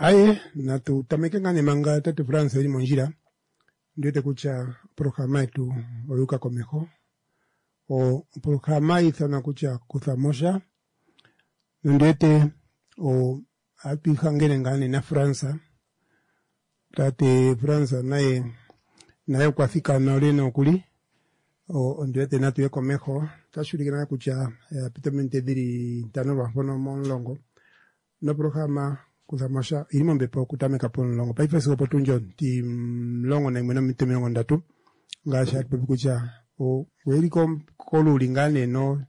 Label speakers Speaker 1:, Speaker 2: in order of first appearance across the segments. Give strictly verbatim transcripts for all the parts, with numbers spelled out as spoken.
Speaker 1: Aye natu tameke ngaa nee manga tate France eli mondjila ndiwete kutya oprograma yetu oyuuka komeho. Oprograma hayiithanwa kutya kuthamosha nondiwete ohatu ihangene ngaa nee na France. Tate France naye naye okwa thikana ole nokuli ondiwete natu ye komeho. Otashi ulike ngaa kutya pita ominute dhili ntano lwaampono momulongo noprograma kuthamosha oyili mombepo okutameka pomulongo paife sigo opotundi ontimulongo nayimwe nominute omilongo ndatu ngaashi hatu popi kutya oyeli koluuli ngaa nee no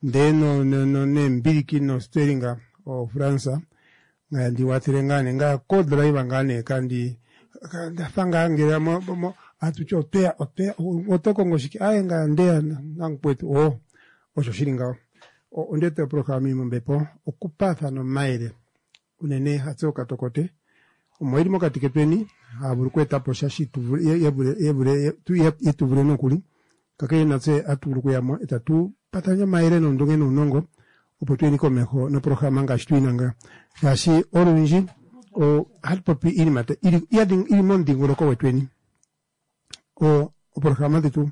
Speaker 1: ndee neembiliki nosteringa o France ngaya ndi wathele ngaa nee ngaya ko driver ngaa nee kandi ndafa ngaa ngele atuti otweya otweya oto kongo shike aaye ngaya ndeya namukwetu oo osho shili ngawo. Ondiwete oprograma ili mombepo okupaathana omayele unene hatse okatokote omo yeli mokati ketweni haya vulu okweetapo sha yetuvule nokuli kakele natse ohatu vulu okuyamo etatu paathana omayele noondunge nuunongo opo tuyeni komeho noprograma ngaashi tuyina nga shaashi olundji ohatu popi iinima ili momudhingoloko gwetweni. Oprograma dhetu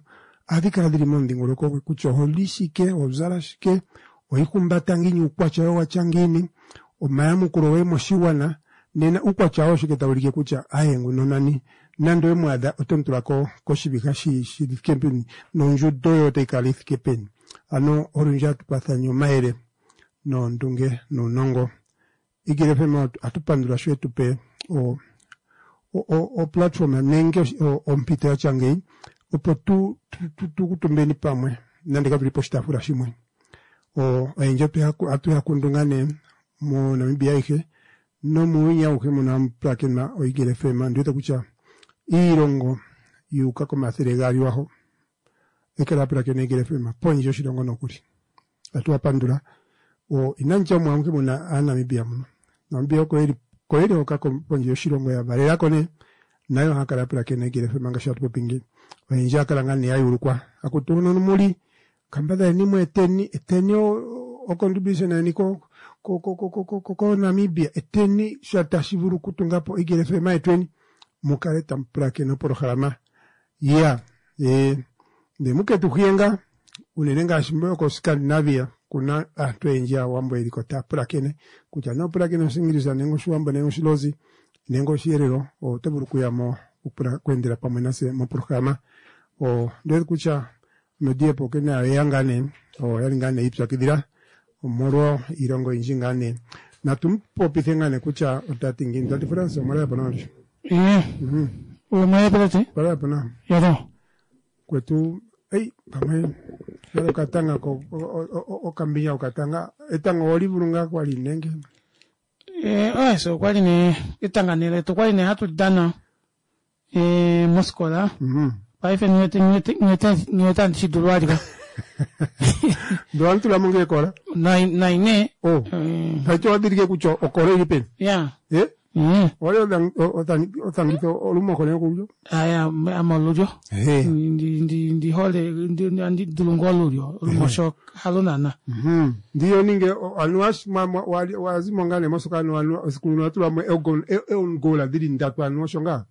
Speaker 1: ohadhi kala dhili momudhingoloko kutya oholi shike, ohozala shike, ohihumbata ngiini, uukwatya woye watya ngiini, omayamukulo goye moshigwana nena uukwatya woye oshike tawu ulike kutya aye nguno nani nande owe mu adha oto mu tula koshiviha shi thike peni nondjundo yoye otayi kala yi peni. Ano olundji ohatu paathana omayele noondunge nuunongo. Eagle F M ohatu pandula sho yetupe o platform nenge ompito yatya ngeyi opo tu kuutumbeni pamwe nande katuli poshitaafula shimwe. Oyendji ohatu ya kundu ngaa nee mo Namibia ayihe nomuuyuni awuhe mono hamu pulakenwa o Eagle F M. Ondiwete kutya iilongo yuuka komathele gaali waho ekala ya pulakena Eagle F M pondje yoshilongo nokuli. Ohatu wapandula. Inanditya omo amuhe muna aaNamibia muno. Namibia oko yeli oko yeli hoka pondje yoshilongo ya valelako nee nayo ohaya kala ya pulakena Eagle F M ngaashi hatu popi ngeyi. Oyendji ohaya kala ngaa nee ya yuulukwa akutu hono muli kambadhaleni mu eteni eteni o contribution yeni ko ko Namibia eteni sha tashi vulu okutungapo Eagle F M yetweni mukale tamu pulakene oprograma ya ndee muketu hiye ngaa unene ngaashi ko Scandinavia kuna aantu oyendji aawambo yeliko taya pulakene kutya nee opulakene Oshiingilisa nenge Oshiwambo nenge Oshilozi nenge Oshiherero oto vulu okuyamo okweendela pamwe nase moprograma. Ondiwete kutya Mediapo nayo oyeya ngaa nee oyali ngaa nee yiipyakidhila omolwa iilonga oyindji ngaa nee. Natu mu popithe ngaa nee kutya otati ngiini. Tati France omwalala nawa ndi?
Speaker 2: Omwalala tate?
Speaker 1: Omwalala nawa.
Speaker 2: Yado.
Speaker 1: Kwetu ei pamwe yalo okatanga okambinya okatanga etanga oli vulu ngaa kwali nenge?
Speaker 2: Eh, oye okwali nee etanga nee letu okwali nee hatu dana eh mosikola. Paife niwete niwete andi shidulu alika.
Speaker 1: Ndo wantu ngee kola?
Speaker 2: Nai nee.
Speaker 1: Oh. Haito wadhilike kutya okola ili peni?
Speaker 2: Ya.
Speaker 1: Eh? Wali othangitha olumoho nekululyo?
Speaker 2: Aya, ame olulyo. Ndi hole ndi dulu ngoo olulyo, olumosho halo naana.
Speaker 1: Ndiyo ninge anuwa wazimo ngaa nee mosoka anuwa esiku limwe watulamo eongola dhili ndatu anuwa osho ngaa?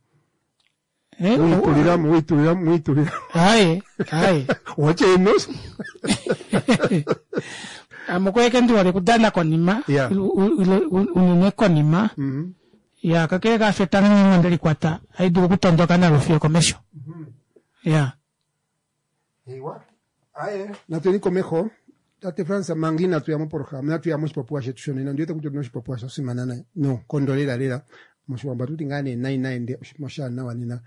Speaker 1: Wiitulilamo wiitulilamo wiitulilamo.
Speaker 2: Aye, aye.
Speaker 1: Watya eno?
Speaker 2: Ame okwali ndi hole okudana konima, unene konima. Ya, kakele kaasho etanga ngenge onde likwata, ohali dulu okutondoka nalo fiyo komesho. Ya.
Speaker 1: Aye, natuyeni komeho. Tate France manga inatu ya moprograma, inatu ya moshipopiwa shetu shonena. Ondiwete kutya otuna oshipopiwa sha simana nayi noonkondo lela lela. Moshiwambo ohatuti ngaa nee nayi nayi ndee oshinima oshaanawa nena.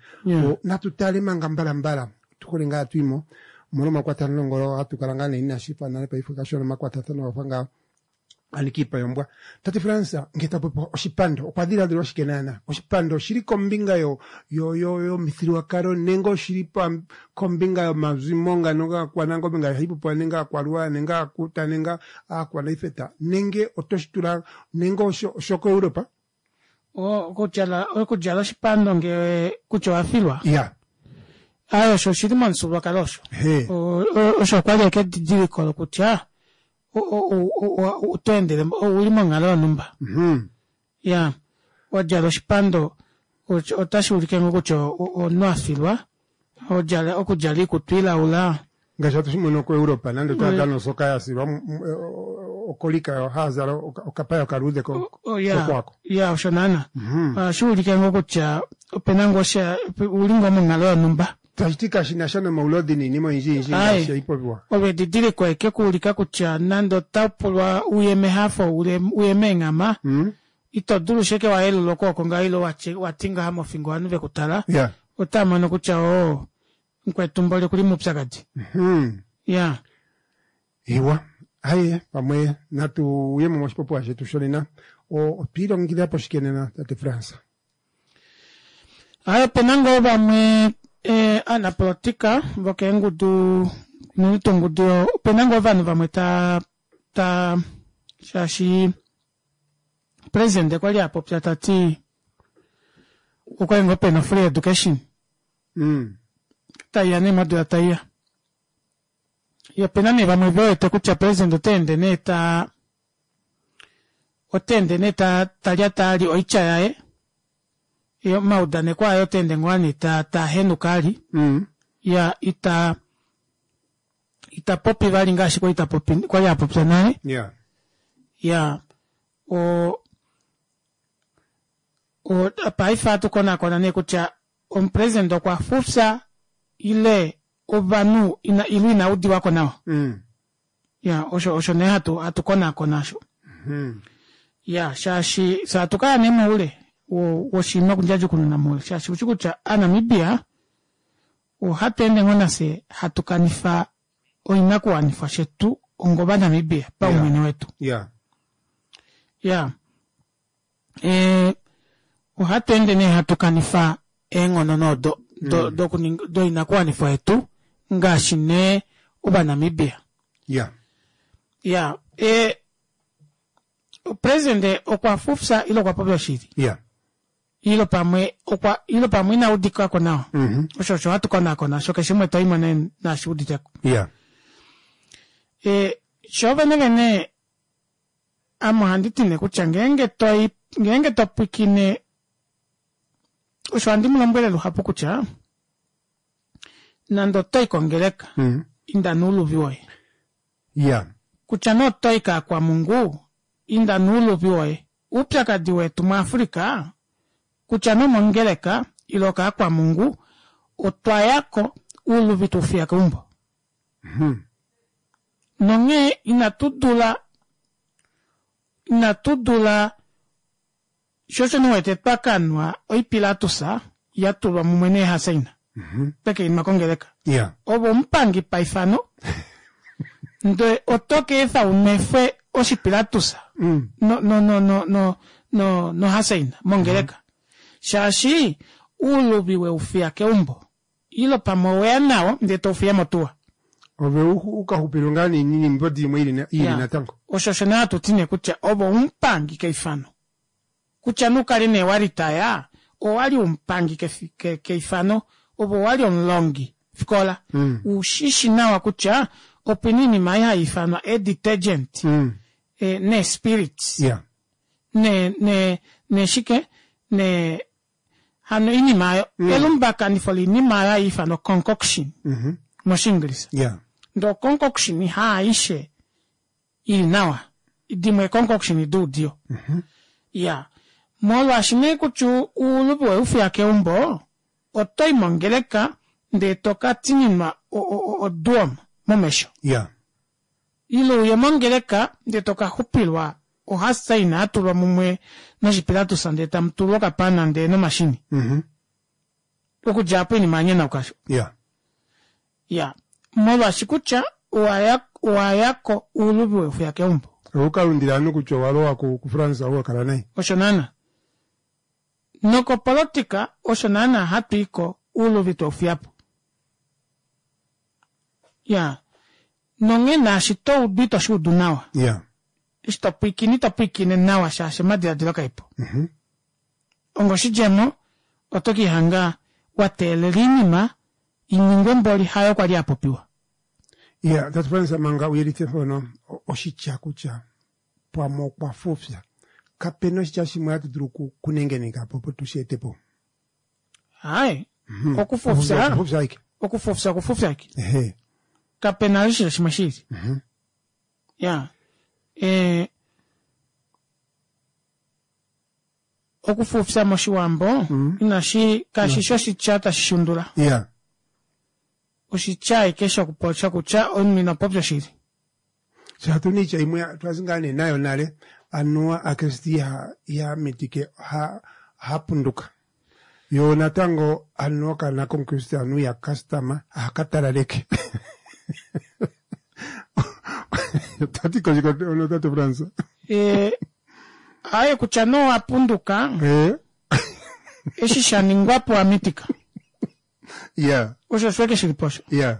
Speaker 1: Natu tale manga mbalambala tuhole ngaa twimo omolwa omakwatathano ngono hatu kala ngaa nee inashi fa nale paife kashona omakwatathano gafa ngaa anika iipa yombwa. Tate France ngele ta popi oshipando okwa dhiladhilwa shike naana? Oshipando oshili kombinga yo yo yo yomithigululwakalo nenge oshili kombinga yomazimo ngano gaakwanangombe ngaashi hayi popiwa nenge aakwaluwa nenge aakuta nenge aakwanaifeta nenge otoshi tula nenge oshoko Europa?
Speaker 2: Okudjala oshipando ngee kutya owafilwa?
Speaker 1: Ya.
Speaker 2: Aye osho oshili momufyuululwakalo osho. Osho okwali ashike edidiliko lokutya oto endele ouli monghalo yonhumba. Ya. Wadjala oshipando otashi ulike ngoo kutya omunhu afilwa. Odjala okudjala oikutu ilaula.
Speaker 1: Ngaashi hatu shi mono kuEuropa nande otava dana osoka ya silwa okolika haya zala okapaya okaluudhe kokwako.
Speaker 2: Ya osho naana. Ohashi ulike ngoo kutya opena ngoo sha uli ngoo monghalo yonhumba.
Speaker 1: Tashi ti kashi na sha nomaulodi noinima oyindji yindji ngaashi haipopiwa.
Speaker 2: Olo edidiliko eke kuulika kutya nande ota pulwa uye mehafo uye meenghama ito dulu sheke wayelula okwooko ngaho ile wati ngaha mofingo ovanhu vekutala. Otava mono kutya oo mukwetu mboli okuli moupyakadi. Ya.
Speaker 1: Iwa. Aye pamwe natu uyemo moshipopiwa shetu shonena. Otwiilongekidha po shike nena tate Frans?
Speaker 2: Aye opena ngoo vamwe aanapolitika vokeengudu unene tuu ongudu opena ngoo ovanhu vamwe ta ta shaashi president okwali apopya tati okwali ngoo pena free education taiya nee modula taiya. Opena nee vamwe vewete kutya president otaende nee ta otaende nee talyata ali oitya yaye omaudaneko aye otaende ngoo nee tahenuka ali iya ita itapopi vali ngaashi kwali tapopi kwali apopya nale. Iya o paife ohatu konakona nee kutya omupresident okwa fufya ile ovanhu ile ina udiwako nawa. Ya osho osho nee hatu hatu konakona osho. Ya shaashi fye hatu kaya nee moule woshinima okundjadjukununa moule shaashi ushi kutya aaNamibia ohatu ende ngoo nafye hatu kanifa oinakuwanifwa shetu onga ovaNamibia paumwene wetu. Ya ohatu ende nee hatu kanifa eenghono nodo doinakuwanifwa yetu ngaashi nee ovaNamibia. Ya president okwa fufya ile okwa popya oshili. Ile pamwe okwa ile pamwe ina udikako nawa. Osho osho hatu konakona osho keshe umwe toimo nee nashi uditeko. Sho vene vene ame ohandi ti nee kutya ngeenge toi ngeenge topwikine osho handi mulombwele luhapu kutya nande otoi kongeleka inda nouluvi woye. Kutya nee otoi kaakwamungu inda nouluvi woye. Oupyakadi wetu muAfrica kutya nee omongeleka ile okaakwamungu otwa yako ouluvi twaufiya keumbo. Nonghee inatu dula inatu dula sho osho nee uwete twakanwa oipilatusa yatulwa mumwe neehasaina twekeinwa kongeleka. Ove omupangi paifano ndee oto ka efa unwefwe oshipilatusa no no no no no nohasaina mongeleka shaashi ouluvi weufiya keumbo ile pamwe oweya nawo ndee toufiya motuwa.
Speaker 1: Ove ukaxupilwe ngaa niimbodi imwe ili natango.
Speaker 2: Osho osho nee hatu ti nee kutya ove omupangi keifano. Kutya nee ukale nee waritaya owali omupangi keifano ove owali omulongi fikola. Ushishi nawa kutya opena oinima ei haiifanwa ee-detergent nee-spirits ne ne neshike ne hano oinima aayo elumbakanifo loinima aayo haiifanwa concoction moshiingilisa. Ndee oconcoction haaishe ili nawa dimwe concoction doudiyo. Iya molwaashi nee kutya ouluvi weufiya keumbo otoi mongeleka ndee toka tininwa oduom momesho. Ile uye mongeleka ndee tokaxupilwa ohasaina yatulwa mumwe noshipilatusa ndee tamutulwa okapana ndee nomashini. Okudja aapo oinima yanyonauka osho. Ya molwaashi kutya owayako ouluvi weufiya keumbo.
Speaker 1: Oukalundila ovanhu kutya owalowa kuFrance ou wakala nai.
Speaker 2: Osho naana. Nokopolotika osho naana hatuiko ouluvi twaufiyapo. Ya nonghee naashi toudu ito shuudu nawa. Eshi topwiikine ito pwiikine nawa shaashi omadiladilo kaepo. Onga oshidjemo oto kiihanga wateelela oinima iningwe mboli hayo kwali yapopiwa.
Speaker 1: Ya tate Frans manga uyelithe mpono oshitya kutya pamwe okwa fufya Kapena oshitya shimwe hatu dulu ku- kunengeneka po opo tushi ete po.
Speaker 2: Hai okufufya
Speaker 1: Okufufya ike.
Speaker 2: okufufya okufufya ike
Speaker 1: Ehe.
Speaker 2: kapena oshitya shimwe shili. Ya eh okufufya moshiwambo inashi kashi shi oshitya tashi shundula.
Speaker 1: Yeah.
Speaker 2: Oshitya ike shokupopya kutya omunhu ina popya oshili.
Speaker 1: Shatu niitya imwe twazi ngaa nee nayo nale anuwa akriste iha iha mitike ha ha punduka. Yo natango anuwa okaana komukriste anuwa iha kastama ohaka talaleke. Tati koshiko ono tate Frans.
Speaker 2: Eh aye kutya no apunduka
Speaker 1: Eh.
Speaker 2: eshi sha ningwa po amitika.
Speaker 1: Yeah.
Speaker 2: Osho shweke shili posho.
Speaker 1: Yeah.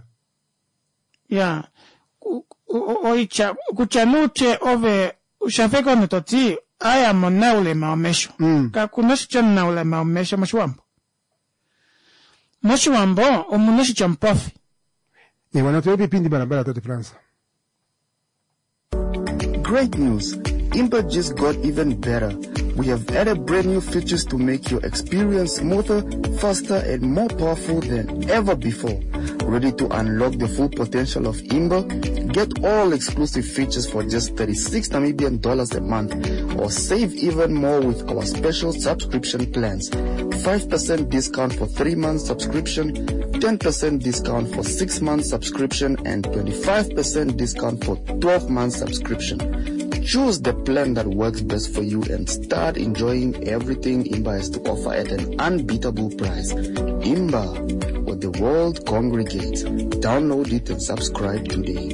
Speaker 2: Ya Ku- o- oitya kutya nuutye ove ushafeka omunhu toti aya monaulema womesho.
Speaker 1: Mm.
Speaker 2: Kakuna oshitya omunaulema womesho moshiwambo. Moshiwambo omuna oshitya omupofi.
Speaker 1: Ewa natu epipindi balabala tate Frans.
Speaker 3: Great news! Imba just got even better. We have added brand new features to make your experience smoother, faster, and more powerful than ever before. Ready to unlock the full potential of Imba? Get all exclusive features for just thirty-six Namibian dollars a month, or save even more with our special subscription plans. five percent discount for three months subscription, ten percent discount for six months subscription, and twenty-five percent discount for twelve months subscription. Choose the plan that works best for you and start enjoying everything Imba has to offer at an unbeatable price. Imba, where the world congregates. Download it and subscribe today.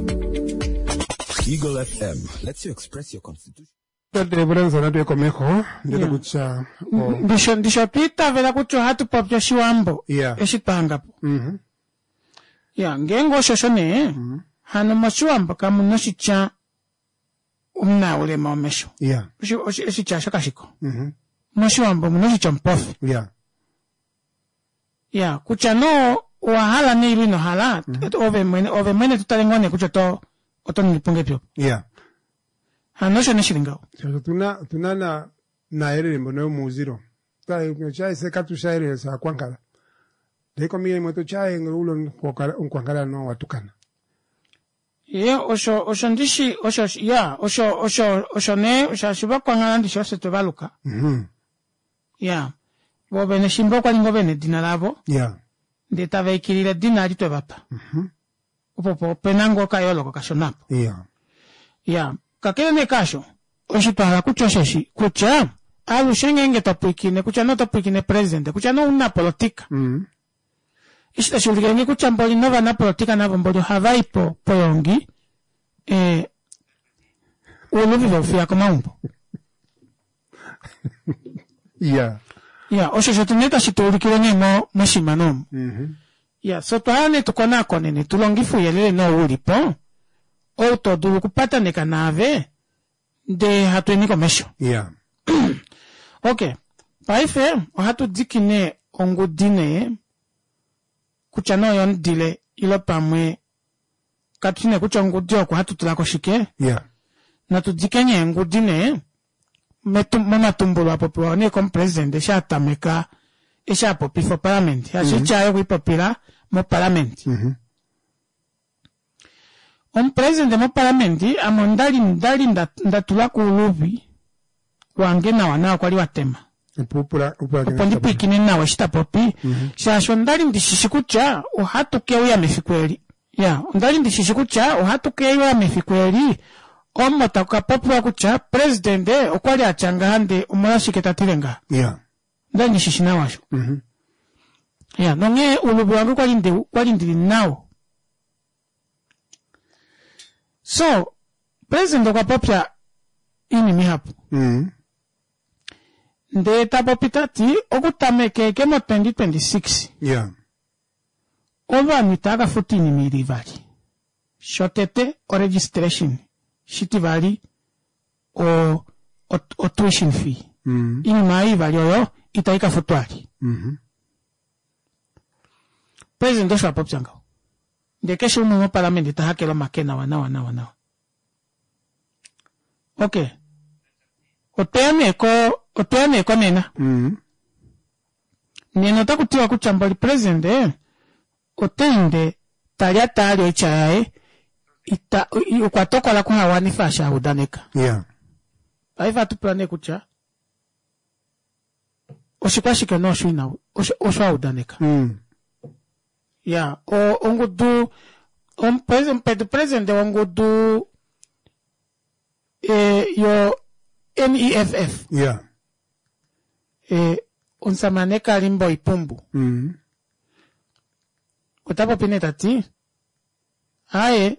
Speaker 4: Eagle F M lets you express your constitution.
Speaker 1: Tate Frans natu ekomeho ndele kutya o
Speaker 2: Ndisho ndisho twiitavela kutya ohatu popi oshiwambo
Speaker 1: Yeah.
Speaker 2: eshi twahangapo.
Speaker 1: Mhm.
Speaker 2: Ya ngeenge osho osho nee hano moshiwambo kamuna oshitya omunaulema womesho.
Speaker 1: Yeah.
Speaker 2: Oshi- oshi- Oshitya osho kashiko.
Speaker 1: Mhm.
Speaker 2: Moshiwambo omuna oshitya omupofi.
Speaker 1: Yeah.
Speaker 2: Ya kutya no owa hala neilo ino hala ove mwene ove mwene tutale ngoo nee kutya oto oto ningi po ngahelipi opo.
Speaker 1: Yeah.
Speaker 2: Hano osho nee shili ngaho.
Speaker 1: Shasho tuna tuna na naayelele mbono yomuuzilo. Twa katushaelele saakwankala. Ndee kombinga imwe totyaye ulo omunkwankala no watukana.
Speaker 2: Ye osho osho ndishi osho ya osho osho osho nee shaashi vakwankala ndishi osho twevaluka.
Speaker 1: Mhm.
Speaker 2: Ya vo vene shimba okwa ninga vene edina lavo
Speaker 1: Yeah.
Speaker 2: ndee tava ikilile edina eli twevapa. Opo po opena ngoo okayooloko kashona apo.
Speaker 1: Yeah.
Speaker 2: Ya kakele nee kaasho osho twahala kutya osheshi kutya alushe ngeenge topwiikine kutya nee otopwiikine president kutya nee omunapolotika
Speaker 1: Mhm.
Speaker 2: eshi tashi ulike nge kutya mboli novanapolitika navo mboli ohava i po poyongi eh, uuluvi veufiya komaumbo.
Speaker 1: Yeah.
Speaker 2: Ya osho osho nee tashi tuulikile nee mo moshimano omu.
Speaker 1: Mhm.
Speaker 2: Ya so twaya nee tukonakone nee tulongife ouyelele nee ou ulipo ou to dulu okupataneka naave ndee hatu eni komesho.
Speaker 1: Yeah.
Speaker 2: Ok, paife ohatu diki nee ongudi nee kutya nee oyomudile ilo pamwe katushi nee kutya ongudi oko hatu tulako shike
Speaker 1: Yeah.
Speaker 2: natu dike nee engudi nee metu- momatumbulo apopiwa nee komupresident eshi atameka eshi apopifa opalamende mm -hmm. aye okwiipopila mopalamende
Speaker 1: Mhm.
Speaker 2: omupresident mopalamende ame ondali ndali nda- ndatula kuuluvi wange nawa nawa kwali watema
Speaker 1: Opo upula upula
Speaker 2: opo ndipwiikine nawa eshi tapopi shaashi ondali ndishishi kutya ohatu keuya mefiku eli ya ondali ndishishi kutya ohatu keuya mefiku eli omo taku kapopiwa kutya presidente okwali atya ngaha ndee omolwashike tatile ngaha
Speaker 1: Yeah.
Speaker 2: ondali ndishishi nawa osho
Speaker 1: Mhm.
Speaker 2: ya nonghee uluvi wange kwali ndi kwali ndili nawo so president okwa popya iinima ihapu
Speaker 1: Mhm.
Speaker 2: ndee tapopi tati okutameka mo twenty twenty-six
Speaker 1: Yeah.
Speaker 2: ovanhu itava kafuta oinima ili ivali shotete oregistration shitivali o, o, o tuition fee
Speaker 1: Mhm.
Speaker 2: iinima ei ivali oyo itai kafutwa ali
Speaker 1: Mhm.
Speaker 2: president osho apopya ngaho ndee keshe umwe mopalamende tahakele omake nawa nawa nawa nawa ok Otweya nee ko otweya nee konena.
Speaker 1: Mm.
Speaker 2: Nena otaku tiwa kutya mboli presidente ota ende talyata ali oitya yaye ita okwa tokola kuhawanifa osho a udaneka.
Speaker 1: Yeah.
Speaker 2: Paife ohatu pula nee kutya oshikwashike nee osho ina osho osho a udaneka.
Speaker 1: Mm.
Speaker 2: Ya, o- ongudu omupres- omupedu presidente wongudu e, yo N E F F
Speaker 1: Yeah.
Speaker 2: e, omusamane Kalimbo Ipumbu
Speaker 1: Mm.
Speaker 2: ota popi nee tati aye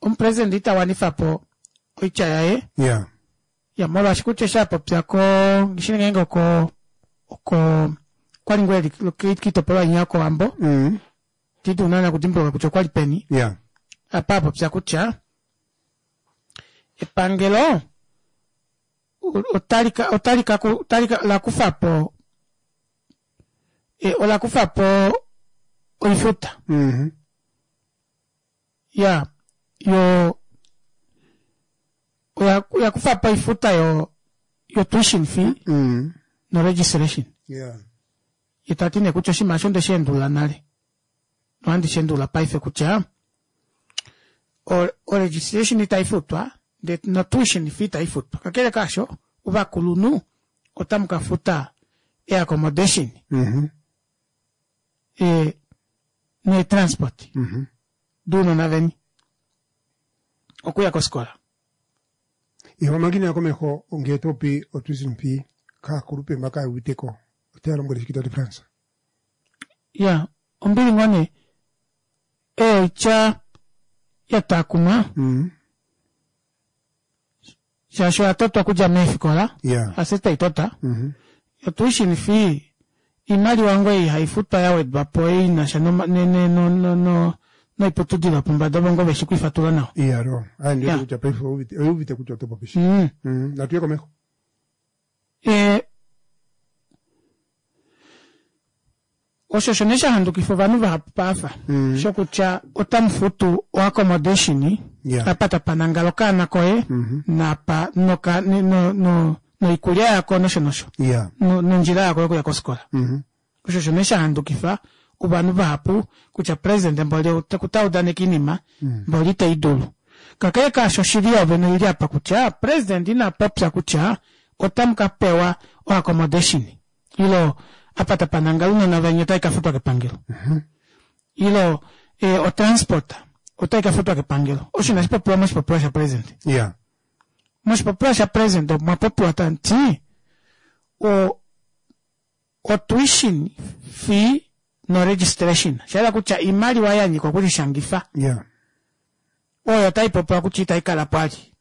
Speaker 2: omupresidente ita wanifa po oitya yaye
Speaker 1: Yeah.
Speaker 2: ya molwaashi kutya eshi a popya ko ngishi ngeenge oko oko kwali ngoo eli kiitopolwa inya yokOwambo
Speaker 1: Mm.
Speaker 2: titi unana okudimbuluka kutya okwali peni
Speaker 1: Yeah.
Speaker 2: apa a popya kutya epangelo otali ka otali ka otali ka la kufa po e, ola kufa po oifuta
Speaker 1: Mm-hmm.
Speaker 2: ya yo oya oya kufa po oifuta yo yo tuition fee
Speaker 1: Mm.
Speaker 2: no registration
Speaker 1: Yeah.
Speaker 2: ye tati nee kutya oshinima osho onde shi endulula nale nohandi shi endulula paife kutya o, o registration itai futwa ndee no tuition fee itai futwa kakele kaasho ovakulunhu otamu ka futa e accommodation
Speaker 1: Mm-hmm.
Speaker 2: e, ne transport
Speaker 1: Mm-hmm.
Speaker 2: duunona veni okuya kofikola
Speaker 1: Iho mangina ya komeho ngee topi o tuition fee kaakulupe mba kaayuuviteko otaya lombwele shike tate Frans?
Speaker 2: Ya ombili ngoo nee oitya ya takumwa
Speaker 1: Mm.
Speaker 2: shaashi oya totwa okudja meefikola
Speaker 1: Yeah.
Speaker 2: ase taitota
Speaker 1: Mm-hmm.
Speaker 2: o tuition fee iimaliwa ngoo ei haifutwa ya wedwa po inasha noma- ne- ne- no- no- no- noiputudilo yopombada ovo ngoo veshi kwiifatula nawa
Speaker 1: Iya ro. Aye ndiwete
Speaker 2: Yeah.
Speaker 1: kutya paife ouvite ouvite kutya oto popi shike.
Speaker 2: mm.
Speaker 1: Mm. Natuye komeho.
Speaker 2: E, osho osho nee sha handukifa ovanhu vahapu paafa
Speaker 1: Mm.
Speaker 2: shokutya otamu futu o accommodation
Speaker 1: Yeah.
Speaker 2: apa tapa nangala okaana koye
Speaker 1: Mhm.
Speaker 2: napa noka no, no, no, noikulya yako nosho nosho
Speaker 1: Yeah.
Speaker 2: no- nondjila yako yokuya kofikola
Speaker 1: Mm-hmm.
Speaker 2: osho osho nee sha handukifa ovanhu vahapu kutya president mboli ota udaneka iinima mboli iteyi dulu kakele kaasho oshili yovene oili apa kutya president ina popya kutya otamu ka pewa o accommodation ilo apa tapa nangala ounona veni otai ka futwa kepangelo ilo eh, o transport otai ka futwa kepangelo osho inashi popiwa moshipopiwa sha president
Speaker 1: Yeah.
Speaker 2: moshipopiwa sha president omwa popiwa tamuti o o tuition fee no registration shaela kutya iimaliwa ya nyika okulishangifa
Speaker 1: Yeah.
Speaker 2: oyo otai popiwa kutya itai kala po ali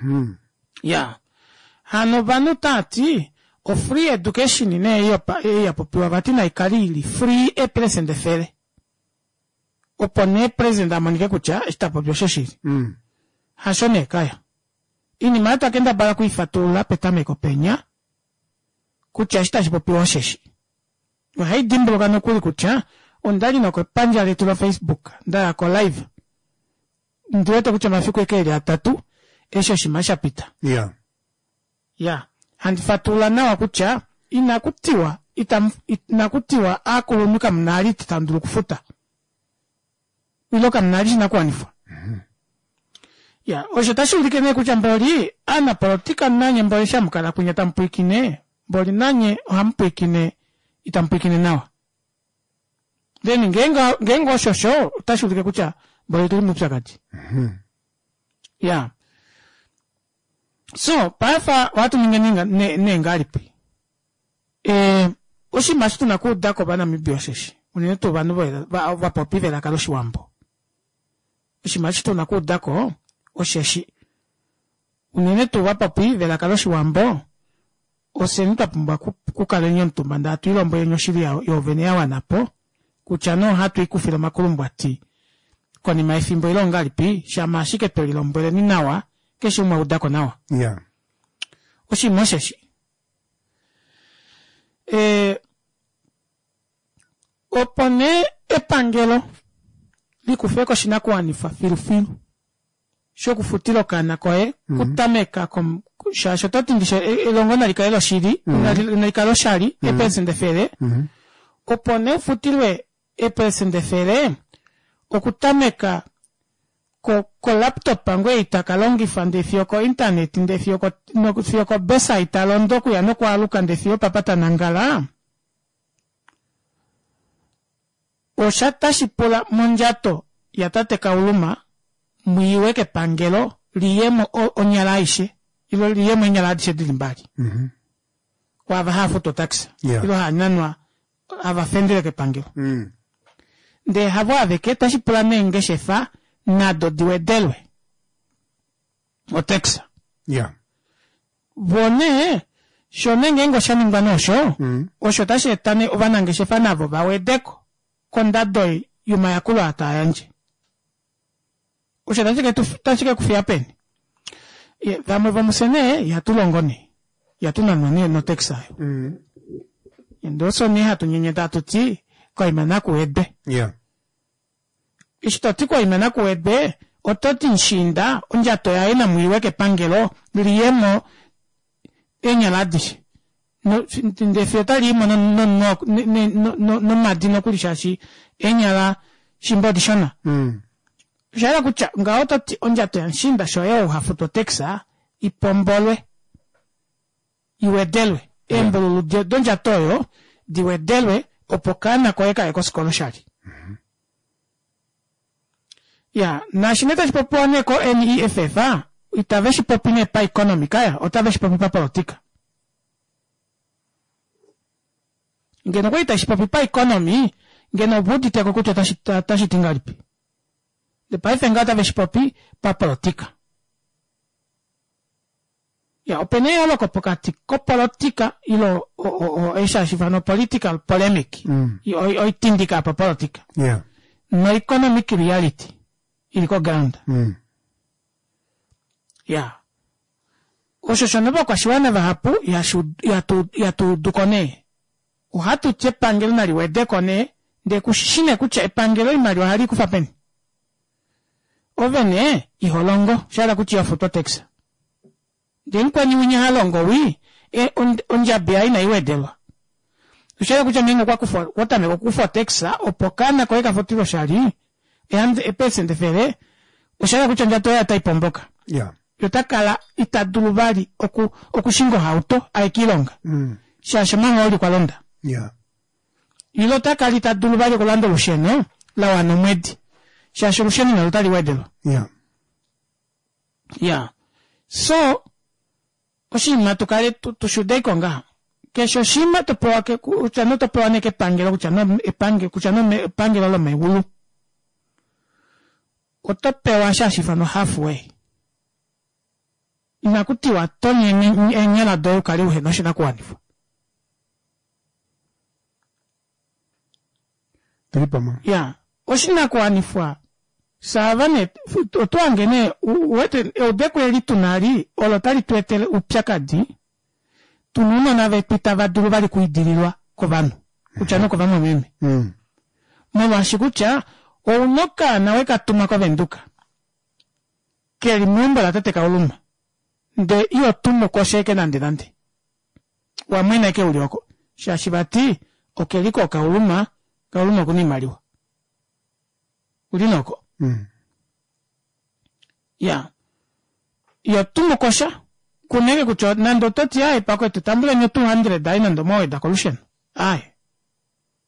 Speaker 1: Mm.
Speaker 2: ya hano ovanhu taati o free education nee ei yopa- ei ya popiwa vati naikale ili free eperesende efele opo nee president amonike kutya eshi tapopi oshoshili
Speaker 1: Mm.
Speaker 2: hasho nee kaya iinima oyo twakendabala okuifatulula petameko penya kutya eshi tashi popiwa osheshi ohai dimbuluka nokuli kutya ondali nokepandja letu lofacebook ndaya ko live ndiwete kutya omafiku eke eli atatu eshi oshinima sha pita
Speaker 1: Yeah.
Speaker 2: ya handi fatulula nawa kutya inaku tiwa itamu- inaku tiwa aakulunhu kamuna ali tamu dulu okufuta ilo kamuna ali shinakuwanifwa ya osho tashi ulike nee kutya mboli aanapolitika nanye mboli shamukala kwinya tamu pwiikine mboli nanye ohamu pwiikine itamu pwiikine nawa then ngeenge ngeenge osho osho otashi ulike kutya mboli otuli muupyakadi ya so paife ohatu ningi ninga- ne- nee ngahelipi e, oshinima eshi tuna okuudako ovanamibia osheshi unene tuu ovanhu vo- va- vapopi velaka loshiwambo oshinima eshi tuna okuudako osheshi unene tuu vapopi velaka loshiwambo ofyeni twa pumbwa oku- okukaleni omutumba ndee hatu ilombweleni oshili ya- yoovene ya wanapo kutya nee ohatu ikufile omakulumbwati konima yefimbo ile ongahelipi shama ashike twelilombweleni nawa keshe umwe audako nawa
Speaker 1: Yeah.
Speaker 2: oshinima osheshi e, opo nee epangelo likufe koshinakuwanifwa filufilu shokufutila okaana koye kutameka kom, Shaashi oto ti ndishe elongo nali kale loshili, nali kale oshali, eepelesenda efele, opo nee ufutilwe eepelesenda efele okutameka ko laptop ngoo ei taka longifa ndee fiyo ko internet ndee fiyo ko fiyo kobesa ei talondo okuya nokwaaluka ndee fiyo opapa tanangala, osha tashi pula mondjato yatate Kauluma mwiiwe kepangelo liyemo onyala aishe ilo liyemo eenyala adishe dili mbali
Speaker 1: mm-hmm.
Speaker 2: Kwaava haafutu otaxa
Speaker 1: Yeah.
Speaker 2: ilo haananwa hava fendele kepangelo
Speaker 1: Mm.
Speaker 2: ndee havo aveke tashi pula neengeshefa nado diwedelwe otaxa
Speaker 1: Yeah.
Speaker 2: vo nee sho nee ngeenge oshaningwa noosho
Speaker 1: Mm.
Speaker 2: osho tashi eta nee ovanangeshefa navo vawedeko kondado yomayakulo aa taa yandje osho tashi ke tu- tashi ke kufiya peni Ye, vamwe vomufye nee ihatu longo nee ihatu nanwa nee notax ayo
Speaker 1: Mm.
Speaker 2: ndee osho nee hatu nyenyeta hatu ti koima nakuwedwe
Speaker 1: Yeah.
Speaker 2: eshi toti koima nakuwedwe oto ti nshinda ondjato yaye namwiiwe kepangelo liyemo eenyala adishe No- ndee fiyo otaliimo no- no- no- ne- no- no- nomadi nokuli shaashi eenyala shimba odishona
Speaker 1: Mm.
Speaker 2: oshahala kutya ngaho ototi ondjato yanshinda sho ye ou hafutu otaxa ipombolwe iwedelwe eembululu do- dondjato oyo diwedelwe opo kaana koye kaye kosikola oshali ya naashi nee tashi popiwa nee ko N E F F itave shi popi nee paeconomy kaya otave shi popi papolitika ngeno okwali tashi popi paeconomy ngeno ovuuditeko kutya otashi- ta- otashi ti ngahelipi ndee paife ngaho otave shi popi papolitika ya opena eyooloko pokati kopolitika ilo o- o- o- eshi hashi ifanwa political polemic
Speaker 1: Mm.
Speaker 2: Oi- oitindika papolitika
Speaker 1: Yeah.
Speaker 2: no economic reality ili ko ground
Speaker 1: Mm.
Speaker 2: ya osho shono vakwashiwana vahapu ihashu- ihatu- ihatuuduko nee ohatu ti epangelo nali wedeko nee ndee kushi nee kutya epangelo oimaliwa ohali kufa peni ove nee iholongo shahala kutya ihofutu otax ndee mukweni winya halongo wii e, ond- ondjabi yaye inaiwedelwa oshahala kutya ngeenge okwa okwa tameka okukufa otax opo okaana koye kafutilwe oshali eepelesenda efele oshahala kutya ondjato yaye otai pomboka
Speaker 1: Yeah.
Speaker 2: yotakala ita dulu vali oku, okushinga ohauto aye kiilonga
Speaker 1: Mm.
Speaker 2: shaashi omahooli kwa londa
Speaker 1: Yeah.
Speaker 2: ilo otakala ita dulu vali okulanda olusheno la wana omwedi shaashi olusheno nalo otali wedelwa
Speaker 1: Yeah.
Speaker 2: ya so oshinima tukale tu- tushudeiko ngaha keshe oshinima topewa ke- kutya no topewa nee kepangelo kutya no epange kutya no me- epangelo lomeulu oto pewa shashi ifanwa halfway inaku tiwa tonya eenyala doye ukale uhena oshinakuwanifwa
Speaker 1: Tuli pamwe.
Speaker 2: ya oshinakuwanifwa saava nee otwange nee u- uwete eudeko eli tunali olo tali tu etele oupyakadi tuna ounona vetu itava dulu vali kuidililwa kovanhu kutya nokovamwameme
Speaker 1: Mm.
Speaker 2: molwaashi kutya ouna okaana wekatuma kovenduka keli meumbo latate Kauluma ndee iho tumu kosheeke nande nande wamwena eke uli oko shaashi vati okeliko Kauluma Kauluma okuna oimaliwa uli noko
Speaker 1: Mm.
Speaker 2: ya iyo tumu kosha kunenge kutya nande ototi aye pakwetu tambuleni o two hundred ayi nande omwaweda kolusheno aye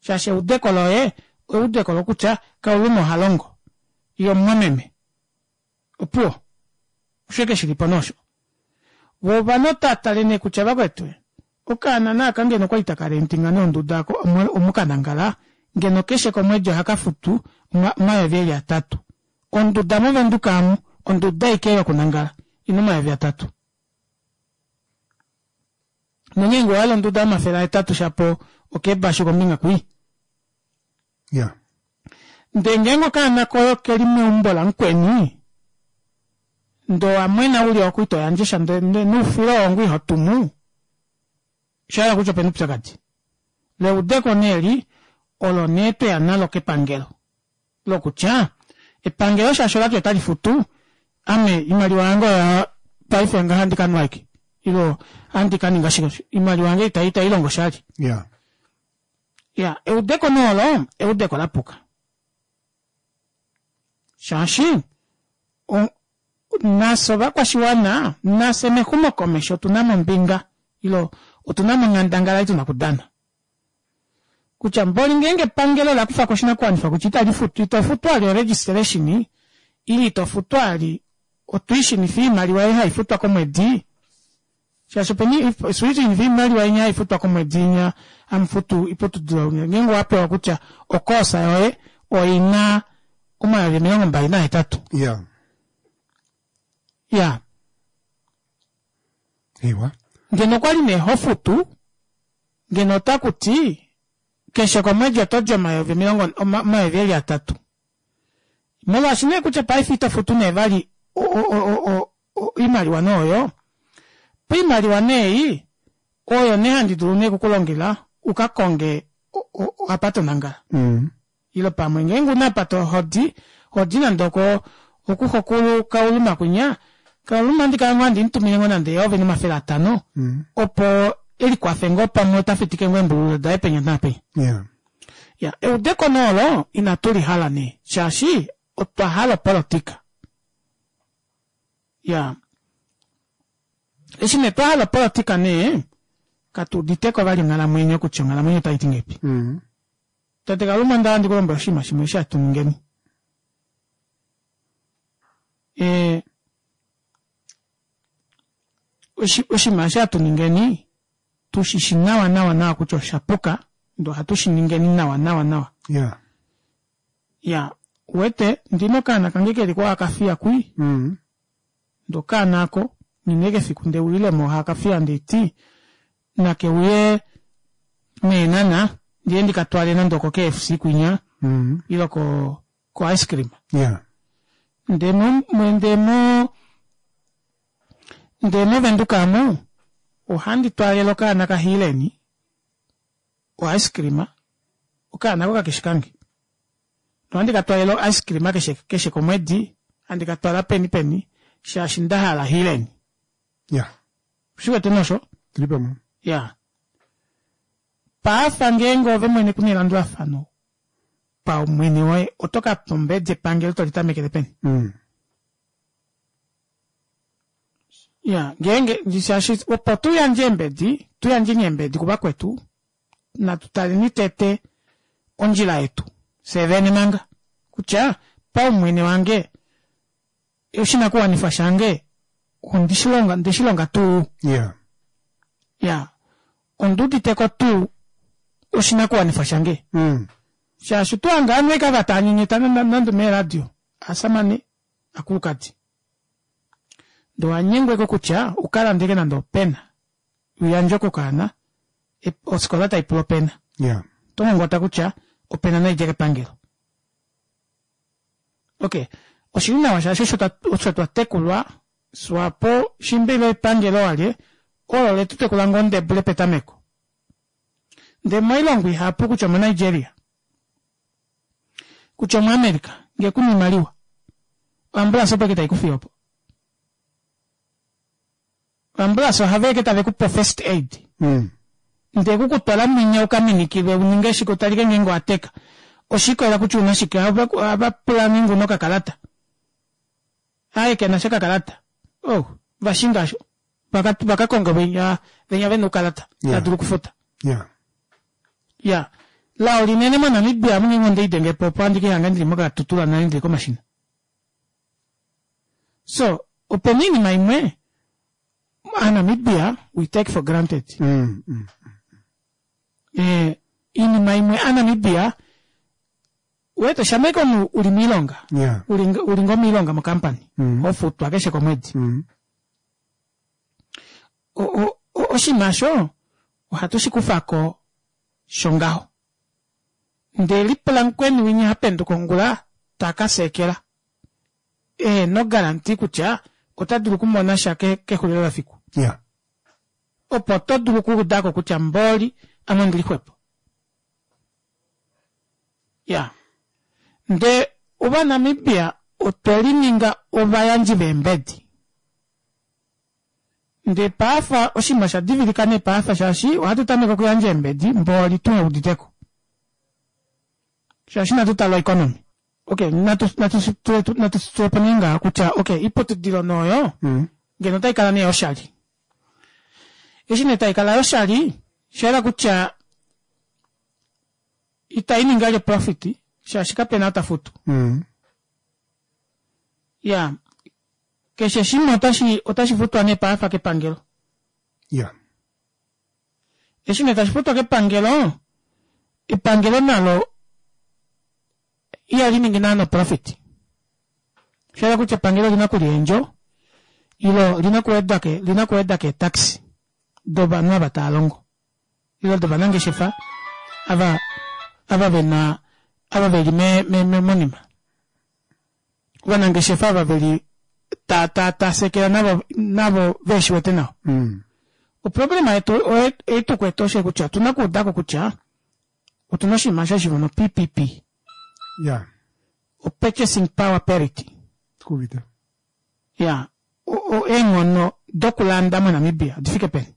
Speaker 2: shaashi eudeko loye eudeko lokutya Kauluma oha longo iyo omumwameme opuwo osho eke shilipo nosho vo ovanhu otatale nee kutya vakwetu okaana naaka ngeno okwali taka rentinga nee onduda ako omu- omukanangala ngeno keshe komwedi ohaka futu oma- omayovi eli atatu onduda movenduka amu onduda aike yokunangala ina omayovi atatu nongeenge owahala onduda yomafele ahetatu shapo okebashu kombinga kwii
Speaker 1: Yeah.
Speaker 2: ndee ngeenge okaana koye okeli meumbo lamukweni ndee owamwena uli oko ito yandje sha ndee ndee noufilo wongu iho tumu oshahala kutya opena oupyakadi leudeko nee li olo nee tweya nalo kepangelo lokutya epangelo shaashi olati otali futu ame imaliwa yange oya paife ngaha ndikanwa aike Ilo ohandi ka ninga shike oimaliwa yange ita ita ilongo oshali.
Speaker 1: Yeah.
Speaker 2: Ya, eudeko nee olo eudeko lapuka. Shaashi nafye ovakwashiwana nafye mexumokomesho otuna mo ombinga ilo otuna mo onghandangala ei tuna okudana. Kutya mboli ngeenge epangelo ola kufako oshinakuwanifwa kutya itali futu ito futu vali o registration ile ito futu vali otuition fee oimaliwa ei haifutwa komwedi shaashi opena otuition fee oimaliwa inya haifutwa komwedi inya hamufutu oiputudilo ngeenge owapewa kutya o course yoye oina omayovi omilongo mbali nahetatu.
Speaker 1: Yeah.
Speaker 2: Ya.
Speaker 1: Ewa.
Speaker 2: Ngeno okwali nee hofutu ngeno otakuti keshe komwedi otodi omayovi omilongo omayovi eli atatu. Molwaashi nee kutya paife ito futu nee vali oimaliwa nee oyo, poimaliwa nee ei oyo nee handi dulu nee okukulongela ukakonge apa tonangala.
Speaker 1: Mm.
Speaker 2: Ile pamwe ngeenge una apa hodi, hodi nande oko okuxokulu kauluma kwinya, kauluma ohandi kala ngoo handi mutumine ngoo nande eyovi nomafele atano
Speaker 1: Mm.
Speaker 2: opo elikwafe ngoo pamwe ota fitike ngoo eembululu daye penya naapenya.
Speaker 1: Yeah.
Speaker 2: Ya, eudeko nee olo inatu lihala nee shaashi otwa hala opolitika. Ya, eshi nee twa hala opolitika nee katuuditeko vali onghalamwenyo kutya onghalamwenyo otaiti ngahelipi.
Speaker 1: Mm.
Speaker 2: Tate Kaluma onda handi kulombwela oshinima shimwe eshi hatu ningeni. E, oshinima eshi hatu ningeni tushishi nawa nawa nawa kutya oshapuka ndee ohatu shiningeni nawa nawa nawa.
Speaker 1: Yeah.
Speaker 2: Ya, uwete ndina okaana kange keli ko hakafiya kwii
Speaker 1: Mm.
Speaker 2: ndee okaana ako nghina ashike efiku ndeuyilemo hakafiya ndeiti nakeuye meenhana ndiye ndikatwale nande oko K F C kwinya
Speaker 1: Mm.
Speaker 2: ile ko ko ice cream.
Speaker 1: Yeah.
Speaker 2: Ndee mo ndee mo ndee movenduka amu ohandi twaalele okaana kaHileni o ice cream okaana ako kakeshi kange. Ohandi ka twaalele o ice cream keshe keshe komwedi handi ka twala peni peni shaashi ndahala Hileni.
Speaker 1: Yeah.
Speaker 2: Ushiwete nosho?
Speaker 1: Tuli pamwe.
Speaker 2: Ya. Paafa ngeenge ove mwene kuna elandulafano paumwene woye oto ka pa ombedi epangelo tolitamekele peni.
Speaker 1: Mm.
Speaker 2: Ya, ngeenge shaashi opo tuyandje eembedi, tuyandjeni eembedi kuvakwetu, natu taleni tete ondjila yetu fyee vene manga kutya paumwene wange oshinakuwanifwa shange ondishilonga ondeshilonga tuu.
Speaker 1: Yeah.
Speaker 2: Ya, onduuditeko tuu oshinakuwanifwa shange.
Speaker 1: Mm.
Speaker 2: Shaashi otwahanga ovanhu ashike ava taanyenyeta nande meeradio asamane akulukadi. Ndee owanyengweko kutya ukalande ashike nande opena uyandje kokaana ofikola taipula opena.
Speaker 1: Yeah.
Speaker 2: Oto ngongota kutya opena naidje kepangelo. Okay, oshili nawa shaashi osho twatekulwa Swapo shimba ile epangelo walye olo letutekula ngoo ndebule petameko. Ndee moilongo ihapu kutya omo Nigeria kutya omo America ngee kuna oimaliwa oambulance opo ashike taikufiye opo. Oambulance ohava ashike tavekupe first aid.
Speaker 1: Mm.
Speaker 2: Ndee kukutwala mwinya ukaminikilwe uninge shike utalike ngeenge owateka. Oshiikolela kutya una shike ohava pula ngeenge una okakalata. Aaye kenasha okakalata. Oh, vashinga osho vakakonga venya venya vena oukalata
Speaker 1: Yeah.
Speaker 2: tadulu okufuta.
Speaker 1: Yeah.
Speaker 2: Ya, lao linene moNamibia amu ngeenge ondeidengepo opo handi kehanga ndili mokatutula nale ndili komashina. So, opena oinima imwe aNamibia we take for granted.
Speaker 1: Mm. Mm.
Speaker 2: Eh, iinima imwe aNamibia wete shamha ashike omunhu uli moilonga
Speaker 1: Yeah.
Speaker 2: uli uli ngoo moilonga mo company
Speaker 1: Mm.
Speaker 2: hofutwa keshe komwedi.
Speaker 1: Mm.
Speaker 2: O- o- oshinima osho ohatu shikufako shongaho. Ndee lipula mukweni winya hapenduka ongula takaseekela ehena ogaranti kutya ota dulu okumona sha kexulilo lefiku.
Speaker 1: Yeah.
Speaker 2: Opo oto dulu okuudako kutya mboli ame ondili xwepo. Ya, ndee ovanamibia otwe lininga ovayandji veembedi. Ndee paafa oshinima sha divilika nee paafa shaashi ohatu tameke okuyandja eembedi mbooli tuheuditeko. Shaashi inatu tala oeconomy. Okey, natu natu natu tulepo nee ngaha kutya okey oiputudilo nooyo ngeno otaikala nee yoshali. Eshi nee taikala yoshali oshayela kutya itainingi vali profit shaashi kapena ou tafutu. Iyaa keshe shimwe otashi otashi futwa nee paafa kepangelo.
Speaker 1: Iya.
Speaker 2: Eshi nee tashi futwa kepangelo, epangelo nalo ihali ningi naana profit. Osha yela kutya epangelo olina okulya eendjo ile olina okuweda ke olina okuweda keetaxi dovanhu ava tava longo ile dovanangeshefa ava ava vena ava veli me me monima. Ovanangeshefa ava veli ta ta tasekela navo navo veshiwete nawa.
Speaker 1: Mm.
Speaker 2: Oproblema yetu ei tukwete osho kutya otuna okuudako kutya otuna oshinima osho hashi ifanwa P P P.
Speaker 1: Ya.
Speaker 2: O purchasing power parity.
Speaker 1: Kuuvite.
Speaker 2: Ya, eenghono dokulanda moNamibia odifike peni?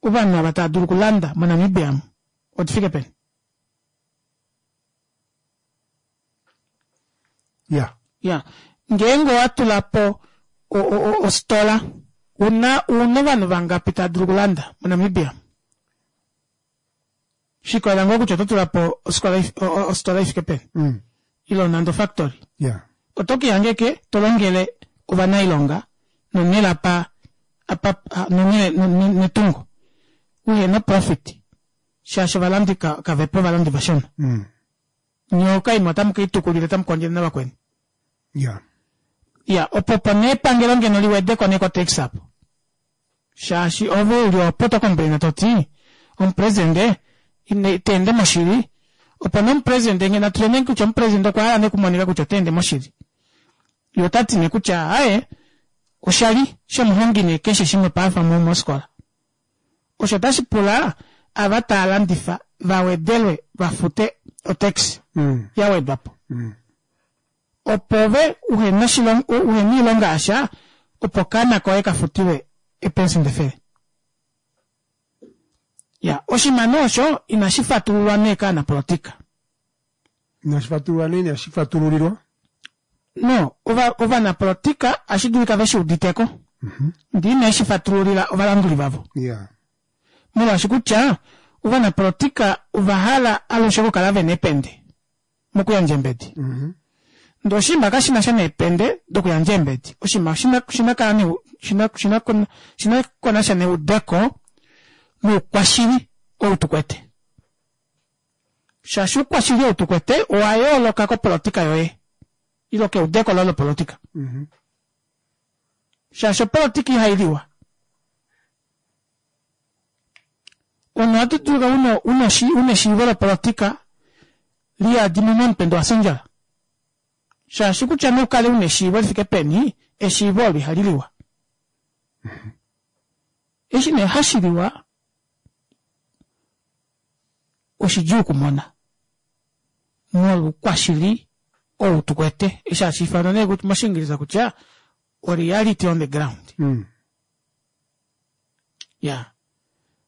Speaker 2: Ovanhu ava tava dulu okulanda moNamibia omu odifike peni?
Speaker 1: Ya.
Speaker 2: Ya, ngeenge owa tula po ostola una una ovanhu vangapi tava dulu okulanda moNamibia? Shikolela ngoo kutya oto tula po ostola ifike peni
Speaker 1: Mm.
Speaker 2: ile nande ofactory.
Speaker 1: Ya.
Speaker 2: Oto ke ke to longele ovanailonga nonhele apa apa nonhele netungo uhena profit shaashi ovalandi kavepo ovalandi vashona.
Speaker 1: Mm.
Speaker 2: Nyee okaima otamu keitukulile otamu kondjele navakweni.
Speaker 1: Ya.
Speaker 2: Ya, opo opo nee epangelo ngeno liwedeko nee kotax apo shaashi ove uli opo to complaina toti omupresidente ita ende moshili opo nee omupresidente ngeno natule nee kutya omupresidente okwa hala nee okumonika kutya ota ende moshili ye otati nee kutya aaye oshali shomuhongi nee keshe shimwe paife mofikola osho otashi pula ava tava landifa vawedelwe vafute otax
Speaker 1: Mm.
Speaker 2: yawedwapo
Speaker 1: Mm.
Speaker 2: opo ove uhena uhena oilonga yasha opo okaana koye kafutilwe eepesenda efele. Ya, oshinima nee osho inashi fatululwa nee kaanapolotika.
Speaker 1: Inashi fatululwa nee inashi fatululilwa.
Speaker 2: No, ova ovanapolotika ohashi dulika veshi uditeko ndee ineshi fatululila ovalanduli vavo.
Speaker 1: Ya.
Speaker 2: Molwaashi kutya ovanapolotika ovahala alushe okukala vena eepende mokuyandja eembedi.
Speaker 1: Mm.
Speaker 2: Ndee oshinima kashinasha neepende dokuyandja eembedi, oshinima oshina shinakala shina shina shinakonasha neudeko noukwashili ou tukwete. Shaashi oukwashili ou tukwete owa yooloka kopolotika yoye ile keudeko loye lopolotika.
Speaker 1: Mm.
Speaker 2: Shaashi opolotika ihailiwa. Omunhu ohatu dulu una una eshiivo lopolotika liyadi momutwe ndee owafya ondjala. Shaashi kutya nee ukale una eshiivo lifike peni, eshiivo olo ihaliliwa. Eshi nee hashiliwa oshidjuu okumona molwa oukwashili ou tukwete eshi hashiifanwa nee moshiingilisa kutya o reality on the ground.
Speaker 1: Mm.
Speaker 2: Ya,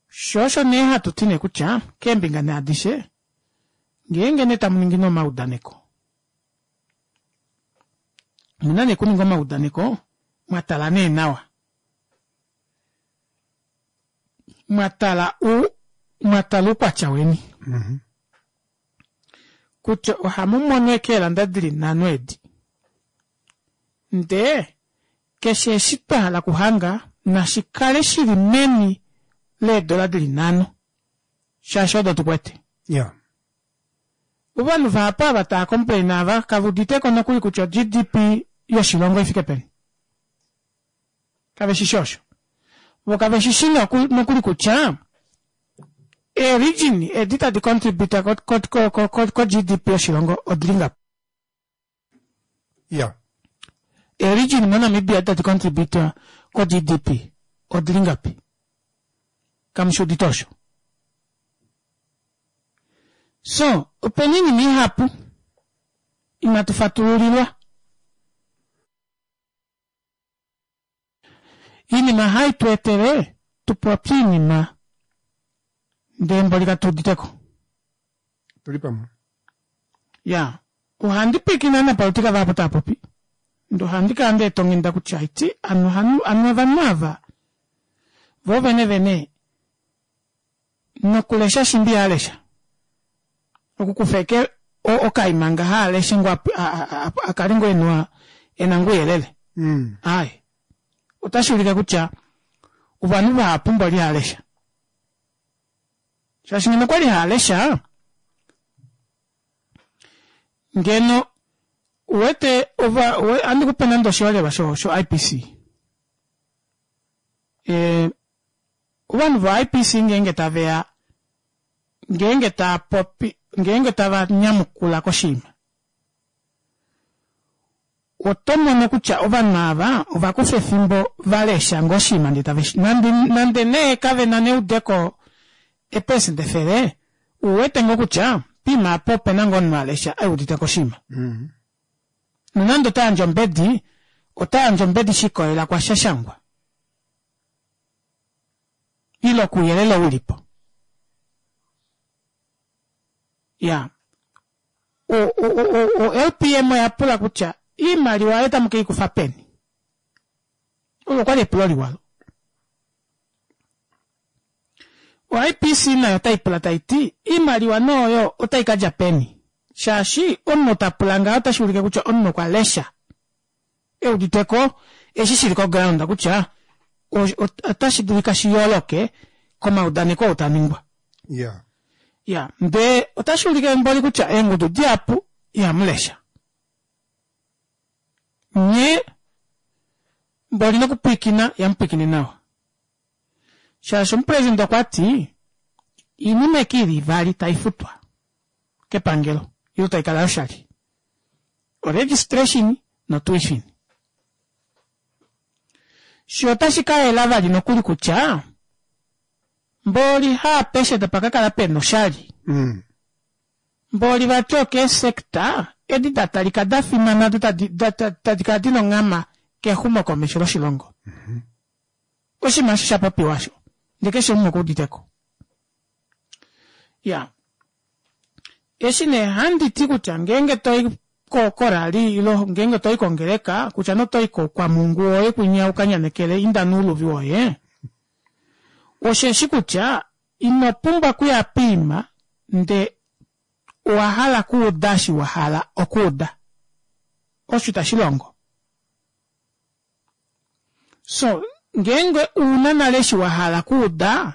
Speaker 2: shoo osho nee hatuti nee kutya keembinga nee adishe ngeenge nee tamuningi nee omaudaneko omuna nee okuninga omaudaneko mwatala nee nawa. Mwatala u mwatala oukwatya weni.
Speaker 1: Mm.
Speaker 2: Kutya ohamumono ashike eelanda dili nhano edi ndee keshe eshi twahala okuhanga nashikale shili meni leedola dili nhano shaashi odo tukwete.
Speaker 1: Ya.
Speaker 2: Ovanhu vahapu ava tava complain ava kaveuditeko nokuli kutya o G D P yoshilongo ifike peni. Kaveshishi osho. Vo kaveshishi nokuli kutya ee-region edi tadi contribute ko G D P yoshilongo odili ngapi.
Speaker 1: Ya.
Speaker 2: Ee-region moNamibia edi tadi contribute ko G D P odili ngapi. Kamushuudite osho. So, opena oinima ihapu inatu fatululilwa. Iinima hai tu etele tupopye iinima ndee mboli katuuditeko.
Speaker 1: Tuli pamwe.
Speaker 2: Ya, ohandi pwiikine ovanapolitika vahapu tava popi ndee ohandi kala ndeeta onghenda kutya haiti ano ovanhu ovanhu ava voo vene vene nokulesha shimba ihalesha okukufa ashike okaima ngaha aleshe ngoo akale ngoo ena ena ngoo ouyelele
Speaker 1: Mm.
Speaker 2: aaye otashuulike kutya ovanhu vahapu mboli ihalesha shaashi ngeno okwali haalesha ngeno uwete ova ohandi kupe nande oshiholelwa sho sho I P C ee ovanhu vo I P C ngeenge taveya ngeenge taapopi ngeenge tava nyamukula koshinima oto mono kutya ovanhu ava ovakufa efimbo valesha ngoo oshinima ndee taveshi nande nande nee kavena neudeko eeprecent efele uwete ngoo kutya poima apa opena ngoo omunhu alesha euditeko oshinima
Speaker 1: Mm.
Speaker 2: nonande otayandje ombedi otayandje ombedi shikolela kwashashangwa ile kouyelele ulipo ya o, o, o, o L P M oya pula kutya iimaliwa oyo tamu keikufa peni olo okwali epulo liwa o I P C nayo otaipula taiti iimaliwa nooyo otai kadja peni shaashi omunhu tapula ngaho otashuulike kutya omunhu okwa lesha euditeko eshi shili ko ground kutya otashi dulika shiyooloke komaudaneko oo taningwa.
Speaker 1: Yeah.
Speaker 2: Ya, ndee otashuulike mboli kutya eengudu dihapu ihamulesha nye mboli nokupwiikina ihamupwiikine nawa shaashi omupresident okwati iinima eke ili ivali taifutwa kepangelo ile taikala yoshali o registration no tuition shoo otashi kayela vali nokuli kutya mboli haapeshe tapa kakala pena oshali
Speaker 1: Mm.
Speaker 2: mboli vati okee sector edi datalika dafimana do tadi tadi kala dina onghama kexumokomesho loshilongo oshinima osho shapopiwa osho ndee keshe umwe okuuditeko ya eshi nee handiti kutya ngeenge toi korali ile ngeenge toi kongeleka kutya notoi kwamungu woye kwinya ukanyanekele inda nouluvi woye osheshi kutya ino pumbwa okuya poima ndee owahala okuuda eshi wahala okuuda osho itashilongo so ngeenge una nale eshi wahala okuuda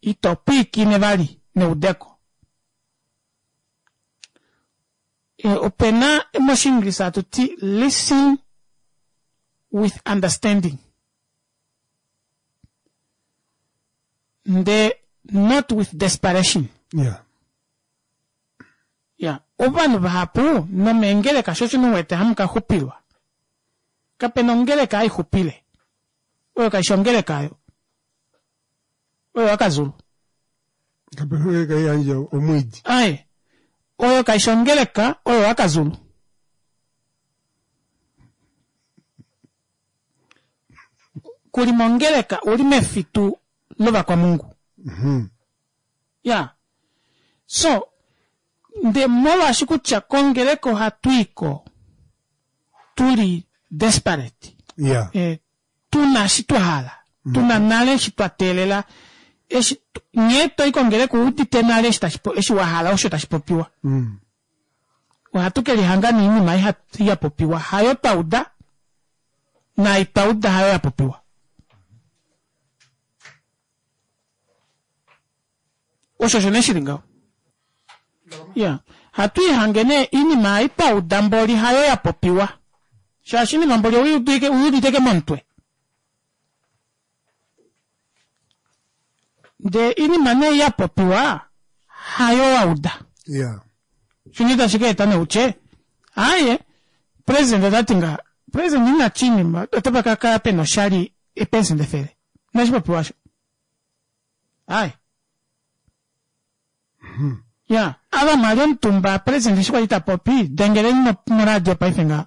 Speaker 2: ito pwiikine vali neudeko e, opena moshinglisa hatuti listen with understanding ndee not with desperation.
Speaker 1: Yeah.
Speaker 2: Ya, ovanhu vahapu nomeengeleka sho osho uwete hamukaxupilwa kapena ongeleka haixupile oyo kaishi ongeleka ayo oyo wakazulu
Speaker 1: Kapena ongeleka haiyandje omwiidi.
Speaker 2: Aye oyo kaishi ongeleka oyo wakazulu kuli mongeleka uli mefitu lovakwamungu
Speaker 1: Mm.
Speaker 2: ya so ndee molwaashi kutya kongeleka ohatwiiko tuli desperate
Speaker 1: Yeah.
Speaker 2: e, tuna eshi twahala tuna nale eshi twa teelela eshi nghee toi kongeleka uudite nale eshi tashi eshi wahala osho tashi popiwa
Speaker 1: Mm.
Speaker 2: ohatu kelihanga noinima yapopiwa hayo twauda naai twauda hayo yapopiwa osho osho nee shili ngaho ya hatu ihange nee iinima ei twauda mboli hayo yapopiwa shaashi iinima mboli owiuditeke momutwe ndee iinima nee yapopiwa hayo wauda
Speaker 1: Yeah.
Speaker 2: shini tashi kaeta nee utye aaye president otati ngaha president ina tshinima otapa kakala pena oshali eeprecent efele inashipopiwa osho aaye ya ava mwali omutumba president eshi kwali tapopi dengeleni moradio paife ngaha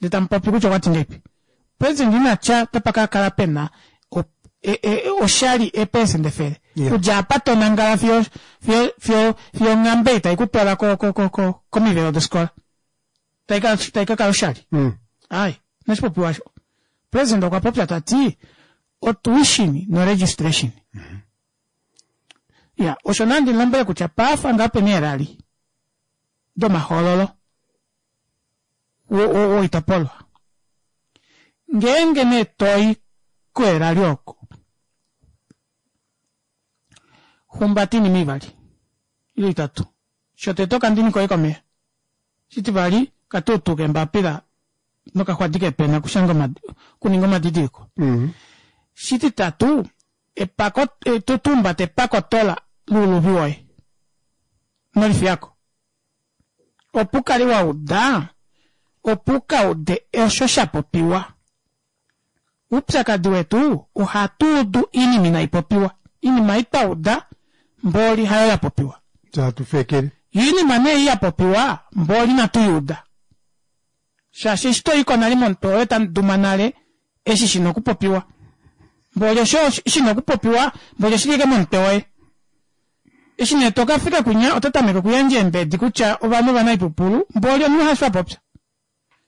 Speaker 2: ndee tamupopi kutya okwati ngahelipi president inatya otapa kakala pena oshali eepelesenda efele okudja apa tonangala fiyo fiyo fiyo fiyo onghambe taikutwala komivelo dofikola taikakala oshali aaye inashipopiwa osho. President okwa popya tati otuition no registration. Iya osho nee handi mulombwele kutya paafa ngaa pena eelali domahoololo woitopolwa ngeenge nee toi koelali oko humbata oinima ivali ile itatu shotete okandini koye komeva shitivali okatuutu keembapila nokaxwadi keepena okushanga okuninga omadidiliko shititatu epako tuumbata epakotola louluvi woye inolifiyako opo ukale wauda opo ukaude osho shapopiwa oupyakadi wetu ohatuudu oinima inaipopiwa oinima ei twauda mboli hayo yapopiwa yoo oinima nee ei yapopiwa mboli inatuyiuda shaashi eshi toyiko nale momutwe woye otamuduma nale eshi shina okupopiwa mboli osho shina okupopiwa mboli oshili ashike momutwe woye eshi nee tokafika kwinya oto tameke okuyandja eembedi kutya ovanhu ovanaipupulu mboli omunhu hasho apopya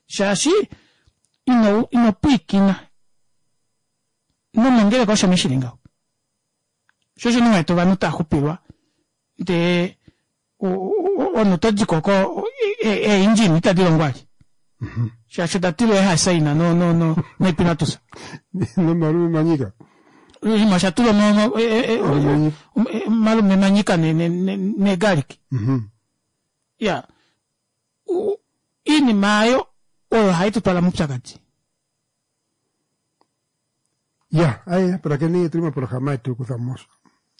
Speaker 2: shaashi ino ino pwiikina nomongeleka osho nee shili ngaho sho osho nee uwete ovanhu taaxupilwa ndee omunhu otodiko oko ee engine itadi longo vali shaashi oda tilwa eehasaina no no no noipinatusa
Speaker 1: nomalume manyika
Speaker 2: oshinima osha tulwa omalume manyika neegarlic iya oinima aayo oyo hai tutwala moupyakadi.
Speaker 1: Ya, aye pulakeni otuli moprograma yetu kutha mo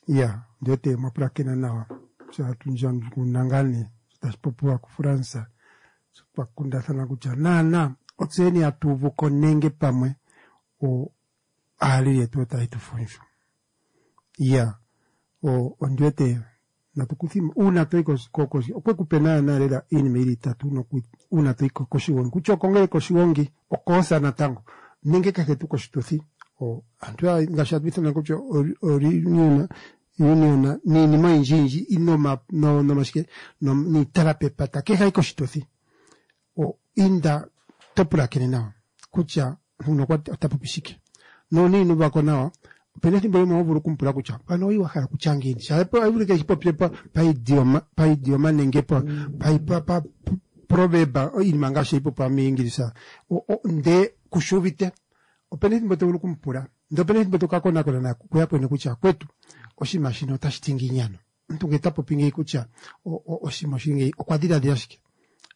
Speaker 1: ya ndiwete mwa pulakena nawa sho hatu ndjandjukununa ngaa nee sho tashi popiwa kuFrance sho twa kundathana kutya naana otseni hatu uvu ko nenge pamwe o aaleli yetu otaye tu fundju ya o ondiwete natu kuthimo uuna toyi okwe ku pe naana lela iinima yili itatu noku uuna toyi koshigongi kutya okongele koshigongi okoosa natango nenge kehe tuu koshituthi o aantu ngaashi hatu ithana kutya oreunion union niinima oyindji yindji noma nomashike niitala pepata kehe ayi koshituthi o inda to pulakene nawa kutya omuntu ota popi shike nuuna ino uvako nawa opena ethimbo limwe ho vulu okumupula kutya mpano oyi wa hala okutya ngiini shaashi ohayi vulika eshi popye paidioma paidioma nenge pa proverb iinima ngaashi hayi popiwa miingilisa ndee kushi uvite opena ethimbo to vulu okumupula ndee opena ethimbo to ka konakona kuyakweni kutya akwetu oshinima shino otashi ti ngiini ano omuntu ngele ta popi ngeyi kutya oshinima oshili ngeyi okwa dhiladhila shike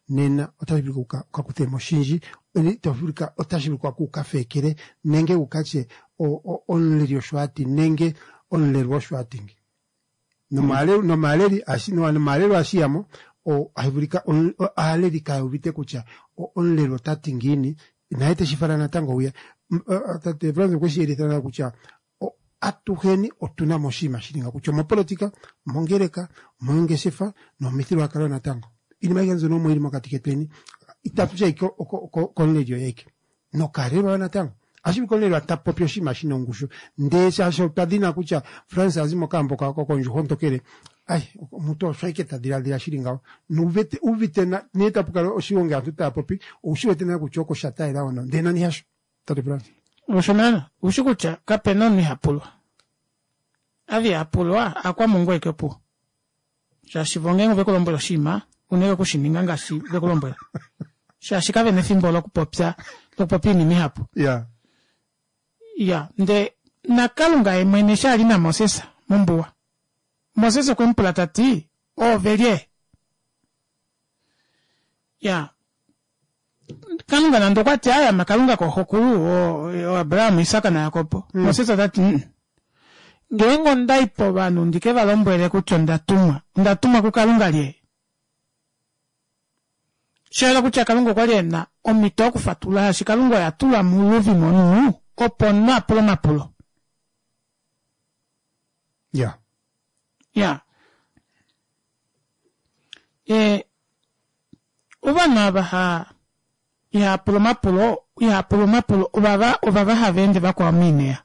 Speaker 1: nena otashi vulika uka kuthe mo oshindji otashi vulika kuuka feekele nenge wu ka tye omuleli osho a ti nenge omulelwa osho a ti ngi nomaaleli nomaalelwa ohashi ya mo ohashi vulika aaleli kaya uvite kutya omulelwa ota ti ngiini naye teshi fala natango hwiya tate Frans okwe shi yelitha nawa kutya atuheni otu na mo oshinima shili nga kutya omopolitika omongeleka omoongeshefa nomomithigululwakalo natango iinima ayihe mbyono omo yili mokati ketweni itatu ti ashike komuleli oye aeke nokaalelwa yo natango ohashi vulika omulelwa ta popi oshinima shina ongushu ndee shaashi otwa dhina kutya Frans a zi mokaambo kondjuhwa ontokele ai omuntu osho ashike ta dhiladhila shili ngawo nuuvite uvite nee tapu kala oshigongi aantu taya popi oushi wete nale kutya oko sha taalela hono ndee nani hasho tate Frans.
Speaker 2: Osho naana oushi kutya kapena omunhu iha pulwa. Ava iha pulwa aakwamungu ashike opuwo. Shaashi vo ngeenge oveku lombwela oshinima una ashike okushininga ngaashi veku lombwela. Shaashi kavena efimbo lokupopya lokupopya oinima ihapu.
Speaker 1: Ya.
Speaker 2: Ya ndee naKalunga yemwene eshi ali naMoses mombuwa, Moses okwe mu pula tati, Oove lye? Ya Kalunga nande okwati aaye ame Kalunga kooxokulu oAbraham, Isak naJakob, Moses otati mm ngeenge ondai povanhu ndi ke va lombwele kutya onda tumwa, onda tumwa kuKalunga lye? Osha yela kutya Kalunga okwa li e na omhito yokufatulula shaashi Kalunga oye a tula muluvi momunhu opo omunhu a pule omapulo.
Speaker 1: Ya.
Speaker 2: Ya. E, ovanhu ava ha ihaa pula omapulo, ihaa pula omapulo ovava ovava hava ende vakwao moineya.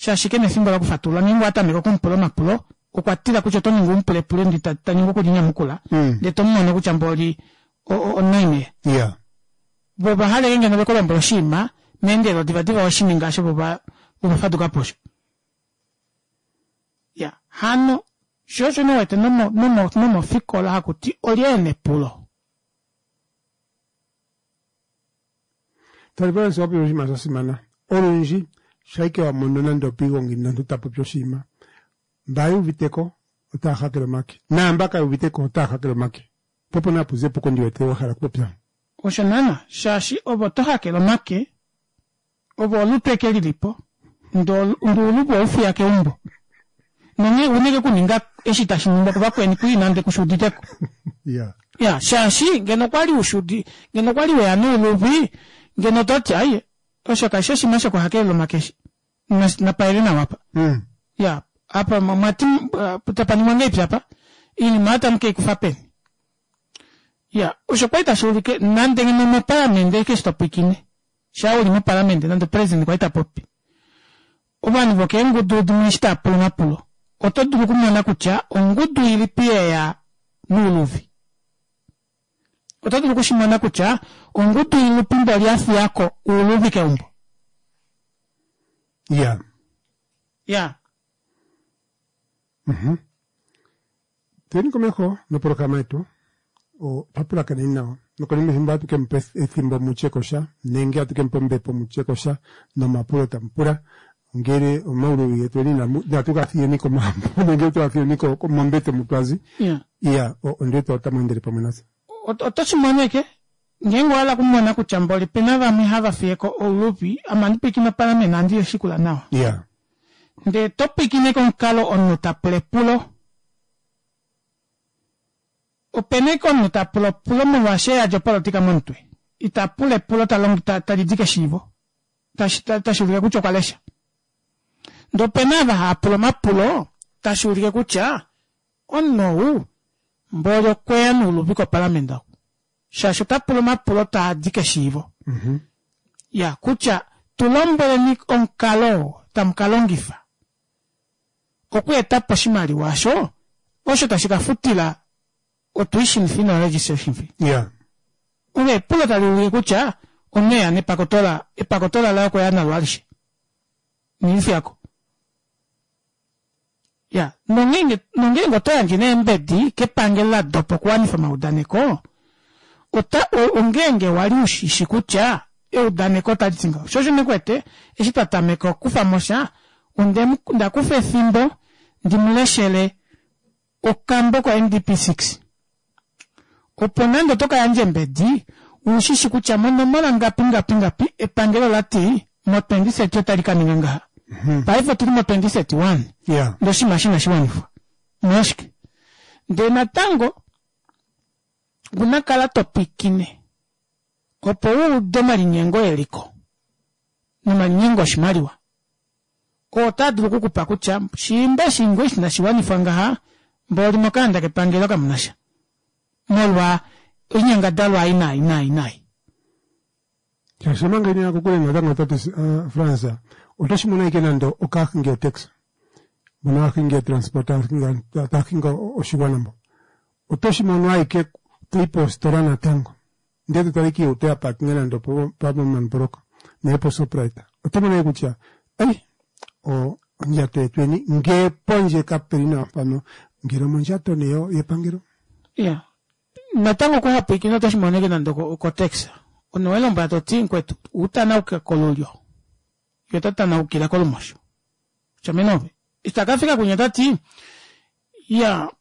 Speaker 2: Shaashi ke na efimbo lokufatulula ngeenge owa tameke okumupula omapulo okwa tila kutya oto ningi umupulepule ndi ta ningi okulinyamukula
Speaker 1: Mm.
Speaker 2: ndee tomumono kutya mboli onightmare.
Speaker 1: Yeah.
Speaker 2: Vo ovahala ngeno vekulombwela oshinima meendelelo divadiva weshininga osho vo vafadukapo osho. Ya hano sho osho nee uwete nomo nomo nomofikola hakuti olye ena epulo.
Speaker 1: Tate Florence owa popi oshinima sha simana. Olundji shaike wa mono nande opiigongi nomuntu ta popi oshinima, mba yuuviteko otaya hakele omake naamba kaye uviteko otaya hakele omake. Po opo nee hapu zi epuko ndi wete wa hala okupopya.
Speaker 2: Osho naana shaashi ove oto hakele omake ove olutu eke lilipo ndee ouluvi oweufiya keumbo nonghee ouna ashike okuninga eshi tashi ningwa kuvakweni kwii nande kushuuditeko.
Speaker 1: Yeah.
Speaker 2: Ya shaashi ngeno okwali ushudi ngeno okwali weya nouluvi ngeno ototi aaye osho kashi oshinima shokuhakelela omake eshi napaele nawa apa.
Speaker 1: Mm.
Speaker 2: Ya apa mwati tapaningwa ngahelipi apa oinima aayo tamukeikufa peni. Ya osho kwali tashuulike nande ngeno mopalamende ashike eshi topwiikine shaa uli mopalamende nande president kwali tapopi ovanhu vokeengudu dimwe eshi taapula omapulo oto dulu okumona kutya ongudu ilipi yeya nouluvi. Oto dulu okushimona kutya ongudu ilipi mboli yafiyako ouluvi keumbo.
Speaker 1: Yeah.
Speaker 2: Ya.
Speaker 1: Mhm. Tuyeni komeho noprograma yetu otwa nawa nokonima yefimbo ohatu ke mu pa ethimbo mutye kosha nenge ohatu ke mu pa ombepo mutye kosha nomapulo tamu pula ngele omauluvi getu eni inatu ga fiyeni komagumbo nenge tu ga fiyeni mombete mu twazi.
Speaker 2: Ya.
Speaker 1: Iya, ondiwete otamu endele pamwe natse.
Speaker 2: Oto shimono eke ngeenge owahala okumona kutya mboli opena vamwe hava fiyeko ouluvi ame ohandi pwiikine opalamende ohandi shikula nawa.
Speaker 1: Yeah.
Speaker 2: Ndee topwiikine komukalo omunhu tapula epulo. Opena ashike omunhu tapula epulo molwaashi eyadi opolitika momutwe. Itapula epulo talidi keshiivo tashuulike kutya okwa lesha. Ndee opena ava haapula omapulo tashuulike kutya omunhu ou mboli okweya nouluvi kopalamende oku. Shaashi otapula omapulo taadi keshiivo.
Speaker 1: Mm-hmm.
Speaker 2: Ya kutya tulombweleni omukalo oo tamukalongifa okweetapo oshimaliwa osho osho tashi kafutila o-tuition fee no-registration fee.
Speaker 1: Yeah.
Speaker 2: Olo epulo taliulike kutya omunhu eya nepakotola epakotola laye okweya nalo alishe. Inelifiyako. Ya nongeenge nongeenge oto yandje neembedi kepangelo ladopa okuwanifa omaudaneko ota ongeenge wali ushishi kutya eudaneko otaliti ngaho. Sho osho ndikuwete eshi twatameka okukufamosha ondakufa efimbo ndimuleshele okambo ko N D P six opo nande oto kayandja embedi ushishi kutya monomola ngapi ngapi ngapi epangelo lati mo twenty thirty otali kaninga ngaha. Paife otuli mo twenty thirty one.
Speaker 1: Yeah.
Speaker 2: Ndee oshinima eshi inashiwanifwa. Omolwashike? Ndee natango unakala topwiikine opo uude omalinyengo eliko nomalinyengo oshimaliwa oo otaa dulu okukupa kutya shiimba eshi ngoo eshi inashiwanifwa ngaha mboli mokaanda kepangelo kamunasha molwa oinyangadalwa ei nai nai nai.
Speaker 1: Shaashi omanga ina kokule natango tate uh, France oto shimono ashike nande okahingi otaxi mbono hahingi etransport tahingi oshiwana mbo oto shimono ashike toyi poositola natango ndee totala ashike ohauto ya parkinga nande pomamboloka nenge poShoprite oto mono ashike kutya ei ondjato yetweni ngee pondje kapeli nawa mpano ngele omondjato nee yepangelo.
Speaker 2: Ya natango okuhapwiikina oto shimono ashike nande okotaxi omunhu owelombwela toti mukwetu utanauke kolulyo ye ota tanaukile kolumosho. Kutya ove eshi takafika kunya otati iya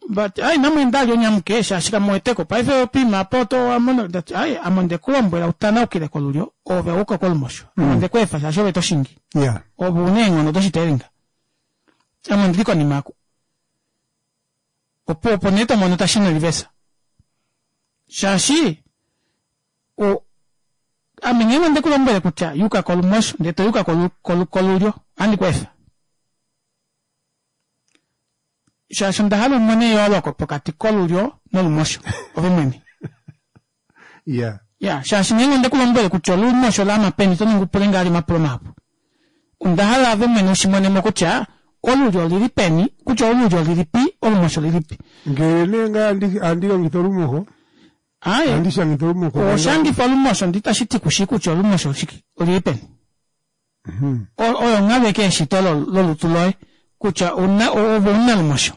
Speaker 2: vati ai inamweenda vali onyamuke shaashi kamuweteko paife poima apa oto wamono ndati ai ame ondekulombwela utanaukile kolulyo ove wauka kolumosho. Ame ondekweefa shaashi ove toshingi.
Speaker 1: Yeah.
Speaker 2: Ove una eenghono doshiteelinga. Ame ondili konima yako. Opo opo nee tomono tashina reverse. Shaashi o ame ngeenge ondekulombwele kutya yuka kolumosho ndee toyuka kolulyo ohandi kweefa. Shaashi onda hala umone eyooloko pokati kolulyo nolumosho ove mwene.
Speaker 1: Yeah.
Speaker 2: Ya shaashi ngeenge ondekulombwele kutya olumosho laama peni oto ningi upule ngaali omapulo mahapu. Onda hala ove mwene ushimonemo kutya olulyo olili peni, kutya olulyo olilipi, olumosho olilipi.
Speaker 1: Ngele nee ngaa andi longitha olumoho,
Speaker 2: Aaye,
Speaker 1: andi shangitha olumoho.
Speaker 2: Oshangifa olumosho ndi tashi ti kushi kutya olumosho oshike, olili peni. Oyo onghalo eke eshito lolutu loye kutya una ove una lumosho,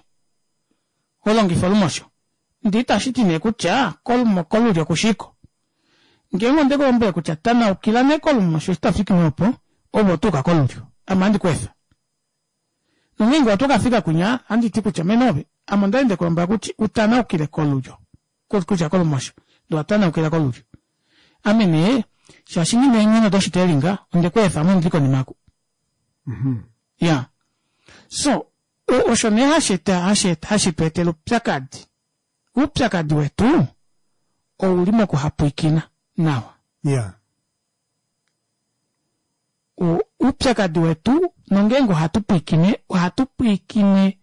Speaker 2: holongifa olumosho. Ndee itashiti nee kutya kolulyo kushiko. Ngeenge ondekulombwele kutya tanaukila nee kolumosho eshi tofiki opo, ove otuuka kolulyo. Ame ohandi kweefa. Nongeenge otokafika kwinya, ohanditi kutya mene ove, ame ondali ndekulombwela kutya utanaukile kolulyo, kutya kolumosho, ndee owatanaukila kolulyo. Ame nee, shaashi nghina eenghono doshitelinga, ondekweefa ame ondili konima oku. Iyaa. So, osho nee hasheeta hashitweetele oupyakadi. Oupyakadi wetu ouli mokuhapwiikina nawa.
Speaker 1: Iyaa.
Speaker 2: Oupyakadi wetu nongeenge ohatu pwiikine, ohatu pwiikine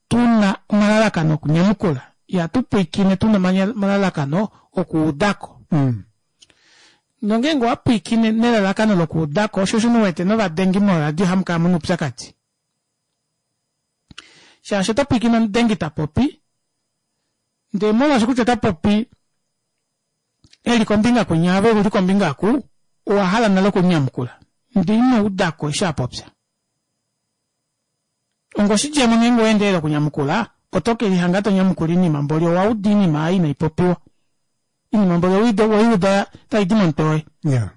Speaker 2: tuna omalalakano okunyamukula. Ihatu pwiikine tuna omalalakano okuudako. Nongeenge owapwiikine nelalakano lokuudako, shoo osho nee uwete novadengi moradio hamukala muna oupyakadi. Shaashi oto pwiikine omudengi tapopi, ndee molwaashi kutya otapopi eli kombinga kwinya ove uli kombinga oku, owahala nale okumunyamukula. Ndee inoudako eshi apopya. Onga oshidjemo ngeenge oweendelele okunyamukula, oto kelihanga tonyamukula oinima mboli owauda oinima aayo inaipopiwa. Oinima mboli oweuda taidi momutwe woye.
Speaker 1: Iyaa.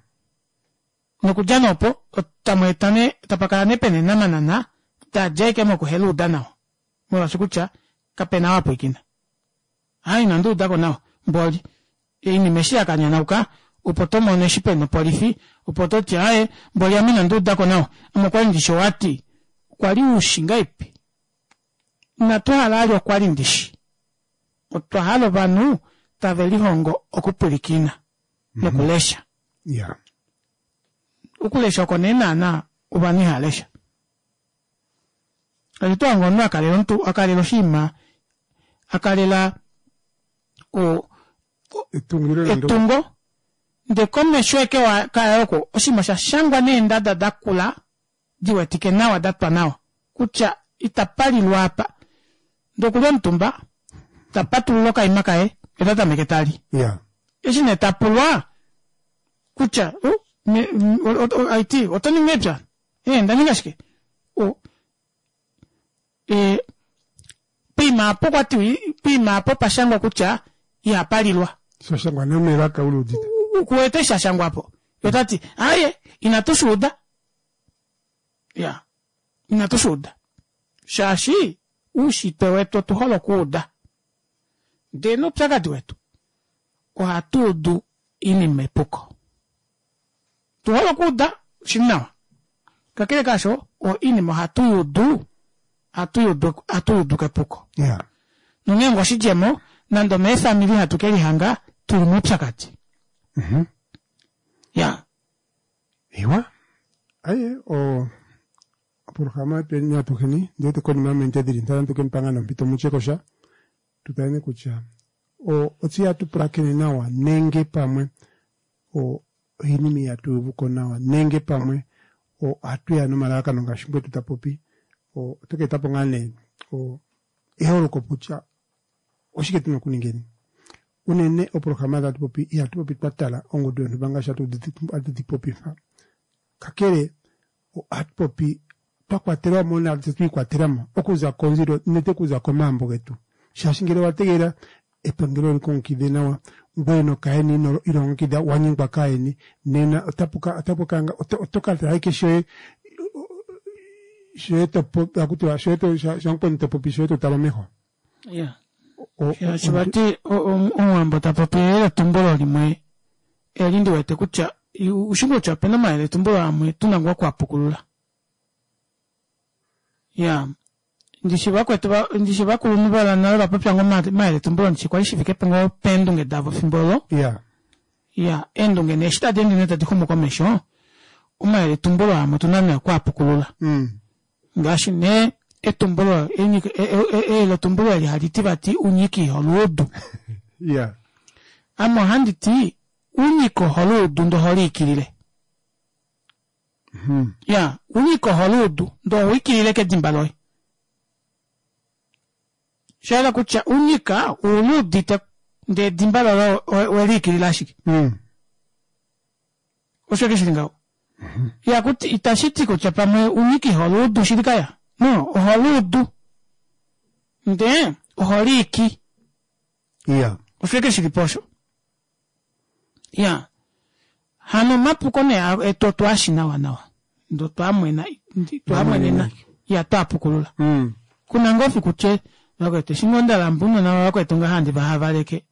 Speaker 2: Nokudja nee opo, tamweeta nee, tapakala nee pena eenamanana dadja ashike mokuheluuda nawa. Molwaashi kutya kapena ou apwiikina. Aaye inandi udako nawa mboli. Oinima eshi yakanyanauka opo tomono eshi pena opolifi opo toti aaye mboli ame inandi udako nawa ame okwali ndishi owati, kwali ushi ngahelipi? Inatuhala vali okwali ndishi. Otwa hala ovanhu tave lihongo okupwilikina nokulesha.
Speaker 1: Iyaa.
Speaker 2: Okulesha oko nee naana ovanhu ihalesha. Kali twahanga omunhu akalela omuntu akalela oshinima akalela o
Speaker 1: Etungilo nande
Speaker 2: etungo ndee komesho ashike kaye oko oshinima oshashangwa neendada dakula diwetike nawa datwa nawa kutya itapalilwa apa. Ndee okuli omutumba tapatulula okaima kaye yee otatameke tali.
Speaker 1: Iyaa.
Speaker 2: Eshi nee tapulwa kutya haiti otoningi epya? Ee ndaninga shike? Ee poima aapo okwati poima aapo opashangwa kutya ihapalilwa.
Speaker 1: Shashangwa nee melaka uliudite.
Speaker 2: Kuwete eshi shashangwapo. Yee otati aaye inatu shuuda. Iyaa inatu shuuda. Shaashi oushitwe wetu otuhole okuuda. Ndee noupyakadi wetu ohatuudu oinima epuko. Tuhole okuuda oshili nawa. Kakele kaasho oinima ohatu yuudu ohatu yuudu kepuko.
Speaker 1: Iyaa.
Speaker 2: Nongeenge oshidjemo nande omeefamili hatu kelihanga tuli moupyakadi. Iyaa.
Speaker 1: Iwa. Aye o oprograma yetweni atuheni ndiwete konima yominute dili ntano atu kemupa ngaa nee ompito mutye kosha tutale nee kutya o otse ihatu pulakene nawa nenge pamwe o oinima ihatu yuuvuko nawa nenge pamwe ohatu ya nomalalakano ngaashi mukwetu tapopi o oto ka etapo ngaa nee o eholoko kutya oshike tuna okuningeni. Unene oprograma tatu popi ihatu popi twatala ongudu yonhumba ngaashi hatu dipopifa. Kakele ohatu popi twakwatelwamo nafye twiikwatelamo okuza konzilo nete okuza komaambo getu. Shaashi ngele owategelela epangelo likulongekide nawa ngoye nokayeni ino ilongekida wanyengwa kaayeni nena otapuka otapuka oto katala ashike shoye shoye topopi hakutiwa shoye shamukweni topopi shoye totale omeho.
Speaker 2: Iyaa. Shaashi vati omuwambo tapopi eyeletumbulo limwe eli ndiwete kutya ushi kutya opena omayeletumbulo amwe tuna ngoo okuapukulula. Iyaa ndishi vakwetu ndishi ovakulunhu vonale ovapopya ngoo omayeletumbulo ndishi kwali shifike ngoo peendunge davo efimbo olo.
Speaker 1: Iyaa.
Speaker 2: Iyaa eendunge nee eshi tadi ende nee tadi xumu komesho omayeletumbulo amwe otuna nee okuapukulula. Ngaashi nee etumbulo eyeletumbulo eli haliti vati unyika iholuudu.
Speaker 1: Iyaa.
Speaker 2: Ame ohanditi unyika oholuudu ndee oholiikilile. Ya, unyika oho luudu ndee ohoikilile kedimba loye. Shahala kutya unyika uluudite ndee edimba loye oweliikilila ashike.
Speaker 1: Mm.
Speaker 2: Osho ke shili ngaho. Ya kuti itashiti kutya pamwe unyika iho luudu shili kaya. No, oho luudu. Ndee oho liiki.
Speaker 1: Ya.
Speaker 2: Osho ke shili po osho. Ya. Hano omapuko nee etu otwaashi nawa nawa. Ndee otwaamwena, twaamwenena ya twaapukulula.
Speaker 1: Mm.
Speaker 2: Kuna ngoo fiku tye vakwetu eshi ngoo ndalamba ounona vavakwetu ngaha handi vahavaleke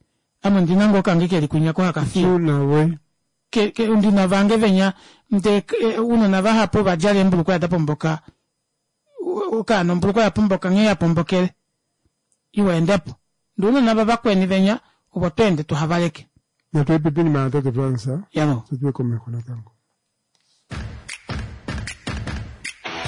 Speaker 2: ame ondina ngoo kange keli kwinya ko haka fiye.
Speaker 1: Tuna we.
Speaker 2: Ke, ke, ndina vange venya ndee ounona vahapu ovadjala eembulukweya dapomboka okaana ombulukweya yapomboka nghee yapombokele iwa endepo ndee ounona vavakweni venya ovo tweende tuhavaleke.
Speaker 1: Natu epipini mana tate Frans,
Speaker 2: Yalo.
Speaker 1: tuye komeho natango.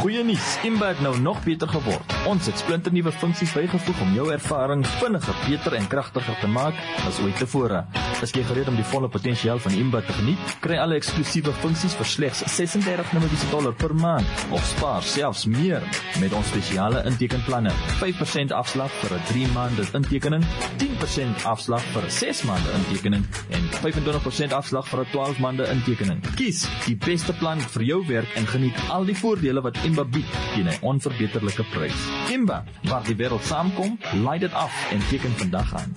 Speaker 5: Goeie nuus, Imba het nou nog beter geword. Ons het splinternuwe funksies bygevoeg om jou ervaring vinniger, beter en kragtiger te maak as ooit tevore. Is jy gereed om die volle potensiaal van Imba te geniet? Kry alle eksklusiewe funksies vir slegs ses-en-dertig Namibiese dollar per maand of spaar selfs meer met ons spesiale intekenplanne. vyf persent afslag vir 'n drie maande intekening, tien persent afslag vir 'n ses maande intekening en vyf-en-twintig persent afslag vir 'n twaalf maande intekening. Kies die beste plan vir jou werk en geniet al die voordele wat Imba bied teen 'n onverbeterlike prys. Imba, waar die wêreld saamkom, laai dit af en teken vandag aan.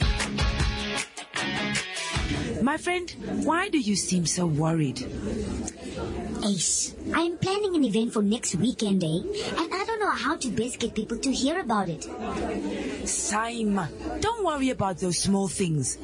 Speaker 6: My friend, why do you seem so worried?
Speaker 7: Ace, I'm planning an event for next weekend, eh? And I don't know how to best get people to hear about it.
Speaker 6: Saima, don't worry about those small things.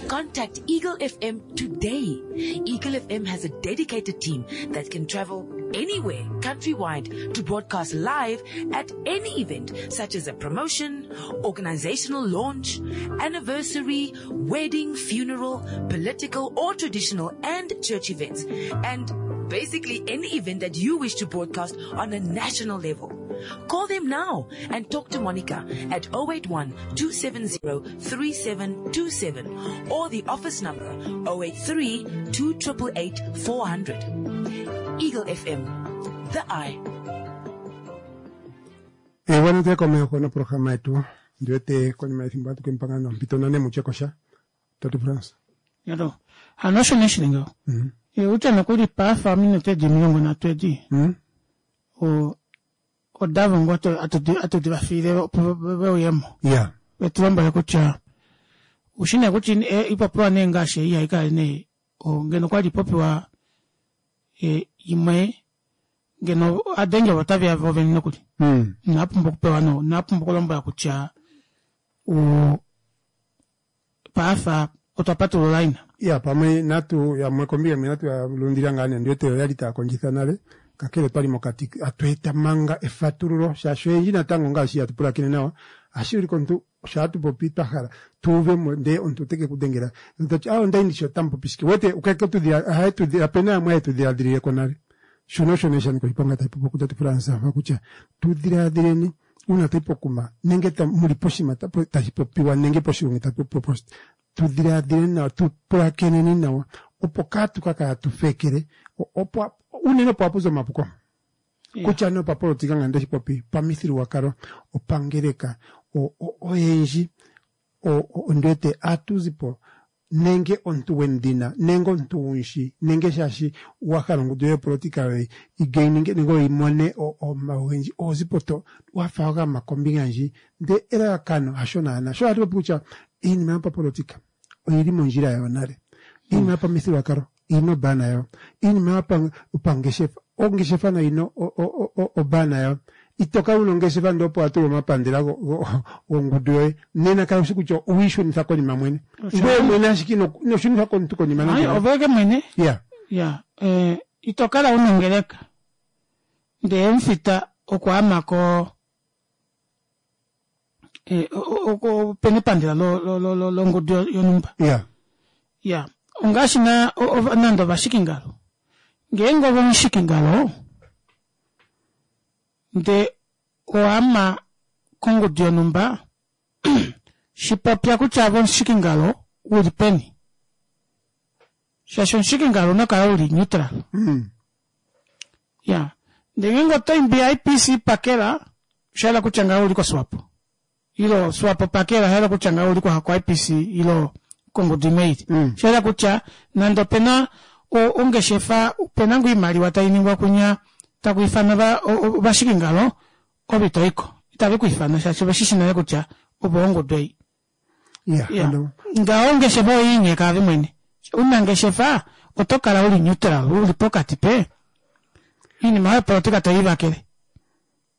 Speaker 6: Contact Eagle F M today. Eagle F M has a dedicated team that can travel anywhere, countrywide, to broadcast live at any event, such as a promotion, organizational launch, anniversary, wedding, funeral, political or traditional and church events, and basically any event that you wish to broadcast on a national level. Call them now and talk to Monica at oh eight one, two seven zero, three seven two seven or the office number oh eight three, two triple eight, four hundred. Eagle F M, the eye.
Speaker 1: Eh, bueno, te komeho noprograma yetu. Ndiwete konima yefimbo hatu kempanga nompito nane muchekosha. Tatu France.
Speaker 2: Yalo. Hano osho nee shili ngaho.
Speaker 1: Mm.
Speaker 2: E, utya nokuli paafa ominute edi omilongo nhatu edi.
Speaker 1: Mm.
Speaker 2: O, odavo ngoo atu, atu, atu divafiile opo ve uyemo.
Speaker 1: Yeah.
Speaker 2: Vetu lombwele kutya, ushi nee kutya e, ipopiwa nee ngaashi ei haikala nee, o, ngeno kwali ipopiwa, e, imwe, ngeno adenge ovo taveya vovene nokuli.
Speaker 1: Mm.
Speaker 2: Inapumbwa okupewa no, inapumbwa okulombwela kutya, o, paafa otwa patulula ina.
Speaker 1: Ya, pamwe natu, ya mwe kombinga mwe natu ya lundila ngaa nee, ndiwete oyali taya kondjitha nale. Kakele twali mokati, atu eta manga efatululo, shaashi oyendji natango ngaashi hatu pulakene nawa, ohashi ulike omuntu, sho hatu popi twa hala, tu uve mo, ndee omuntu ote ke ku dengela. Omuntu oti, ah, onda yi ndishi otamu popi shike. Wete, ukeke tu dhila, ohaye tu dhila, opena yamwe haye tu dhiladhilile ko nale. Shono osho nee sha nika oshiponga tayi popi kutya tu Fransa, kutya tu dhiladhileni, uuna tayi pokuma, nenge ta-, muli poshima ta-, tashi popiwa, nenge poshigongi tashi popiwa poshi, tu dhiladhileni nawa, tu pulakeneni nawa, opo kaatu ka kala tu fekele, o-, opo, unene opo hapu zi omapuko.
Speaker 2: Yeah.
Speaker 1: Kutya nee opapolitika nga ndeshi popi, pamithigululwakalo, opangeleka, o-, o-, oyendji, o-, o-, ondiwete atu zi po, nenge omuntu gwendhina, nenge omuntu gundji, nenge shaashi wa hala ongundu yopolitika yoye igaininge, nenge oyimone o-, omawi ogendji, oho zi po to wa fa wa gama kombinga ndji, ndele elalakano hasho naana. Sho hatu popi kutya iinima yopapolitika oyili mondjila yayo nale, iinima yopamithigululwakalo oyina obana yayo, iinima yopangeshefa, ongeshefa nayo oyina o-, o-, o-, o-, obana yayo. Ito kala wuna ongeshefa ndele opo wa tula omapandela go-, go-, gongundu yoye, nena kala ushi kutya owiishunitha konima mwene.
Speaker 2: Osho.
Speaker 1: Ngoye mwene ashike ino-, ino shunitha komuntu konima
Speaker 2: Ayi,
Speaker 1: nande.
Speaker 2: oveke mwene.
Speaker 1: Yeah.
Speaker 2: Yeah. Eh, ito kala wuna ongeleka. Ndele omufita okwa ama ko, eh, o-, o-, o-, opena epandela lo-, lo-, lo-, lo-, longundu yo-, yonhumba.
Speaker 1: Yeah.
Speaker 2: Yeah. Ongaashi na, o-, o-, nande ovashikingalo. Ngeenge ove omushikingalo, nde oama kongundu yonhumba, shipopya kutya ove omushikingalo uli peni. Shaashi omushikingalo una kala uli neutral.
Speaker 1: Mm.
Speaker 2: Ya. Ndele ngeenge oto imbi I P C pakela, osha yela kutya ngaho uli koSwapo. Ilo Swapo pakela, osha yela kutya ngaho uli ko I P C ilo kongudu imwe ili. Osha yela kutya nande opena ongeshefa, opena ngoo oimaliwa tai ningwa kunya taku ifana ovashikingalo, ove ito iko. Itave ku ifana shaashi ove shi nale kutya ove ongudu ei. Ngaho ongeshefa oyiinyeka ave mwene. Unangeshefa oto kala uli neutral, uli pokati pe. Iinima yopolitika toyivakele.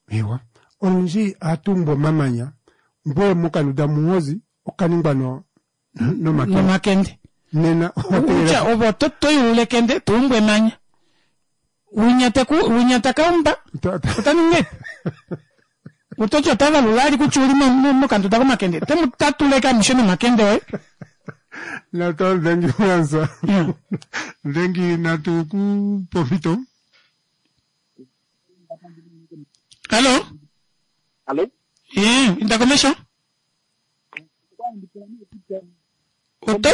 Speaker 1: Ewa. Olundji ohatu omamanya, ngwe mokanuda muhozi okaningwa no nomakende.
Speaker 2: Nomakende.
Speaker 1: Nena
Speaker 2: kutya ovo to toyulule kende tuumbwe emanya. Winyata winyata kaumba. Otaninge. Otocho otava lulali kutya uli mokanduda komakende. Temu tatuleka mishe nomakende oye.
Speaker 1: Nato ndengi mwanza. Ndengi natu ku pomito.
Speaker 2: Hello?
Speaker 8: Hello?
Speaker 2: Yeah, indakomesho? Oto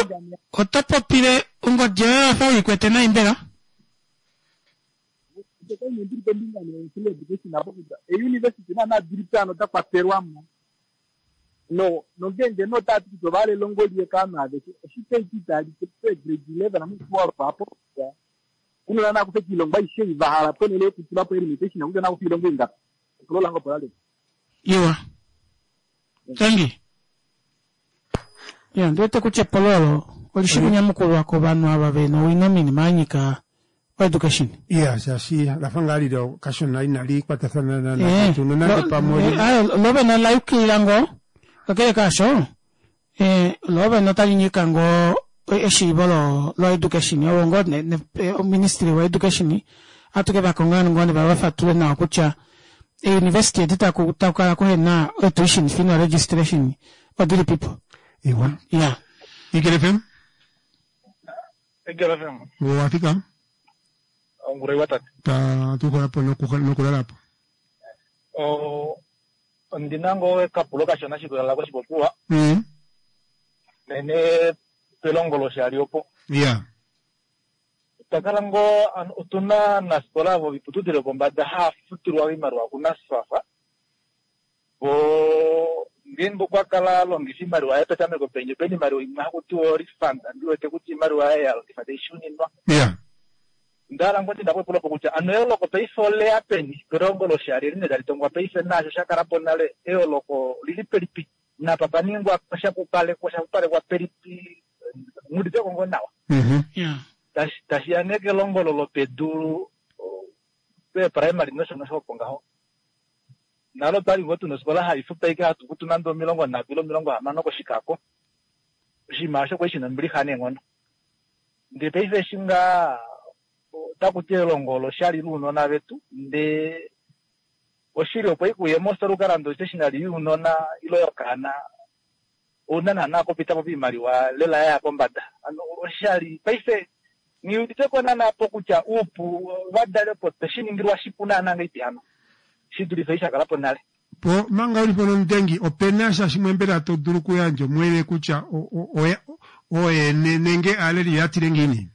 Speaker 2: oto popile ongodje yafa uikwete na imbela?
Speaker 8: University na na diripano ta kwatelwamo. No, no ngenge no tatu tobale longo liye kama aveke. Oshite kitali ke grade eleven amu twelve apo. Kuno na kufe kilongwa ishe ivahala ponele kutula po limitation na na kufi longo inga. Kulola ngo polale.
Speaker 2: Iwa. Thank you. Ya, ndwete kuche pololo olishikunyamukulu kovanhu ava vena owino minima anyika education.
Speaker 1: Yeah, shashi lafanga alilo kashona inali kwatathana na na tunonande pamoja.
Speaker 2: Ayo lobe na layukilira ngo kakele kasho eh lobe notalinyika ngo eshiivo lo lo education owo ngo ne ministry wa education atuke vakongana ngo ne vafatule nawa kutya e university edita kutakala kuhena tuition fee no registration odili people.
Speaker 1: Iwa.
Speaker 2: Yeah.
Speaker 1: Eagle F M?
Speaker 8: Eagle F M.
Speaker 1: Wafika?
Speaker 8: Ongure watatu.
Speaker 1: Ta tukola po nokulala po.
Speaker 8: O ndinango ekapulo kashona shikulala koshipopiwa.
Speaker 1: Mm.
Speaker 8: Nene pelongolo shali opo.
Speaker 1: Yeah.
Speaker 8: Takala ngo otuna nasikola vo viputudhilo pombada hafutilwa iimaliwa kuNSFAF. Vo ngeenge okwa kala alongifa iimaliwa yaye petameko penye pena iimaliwa imwe hakutiwa refund andiwete kutya iimaliwa yaye yalongifa taishuninwa.
Speaker 1: Yeah.
Speaker 8: Ndala ngoti ndapopulopo kutya ano eoloko paife oleya peni pelongo loshali line tali tongwa paife nasho shakalapo nale eoloko lili pelipi napa paningwa shapupalekwa shapupalekwa pelipi nguditeko ngo nawa.
Speaker 1: Mhm.
Speaker 2: Yeah.
Speaker 8: Tashi ya nee kelongo lopedu pe primary nosho nosho opo ngaho. Nalo twali ngo tuna osikola haifuta ike hatu kutu nande omilongo nhatu ile omilongo hamano koshikako. Oshinima osho kwali shina ombilixa neenghono. Ndele paife eshi ngaa otaku ti elongo oloshali luunona vetu ndee oshili opo ikuye mositola ukalande ostationery younona ile yokaana ouna naana kupitapo piimaliwa lela yaya pombada. Ano oshali paife nghiuditeko naana po kutya uupu ovadali opo tweshiningilwa shipu naana ngaipi hano shidulife eshi shakalapo nale.
Speaker 1: Po manga ulipo nomudengi opena sha shimwe mbela to dulu kuyandja omwene kutya oyene nenge aaleli yatile ngiini?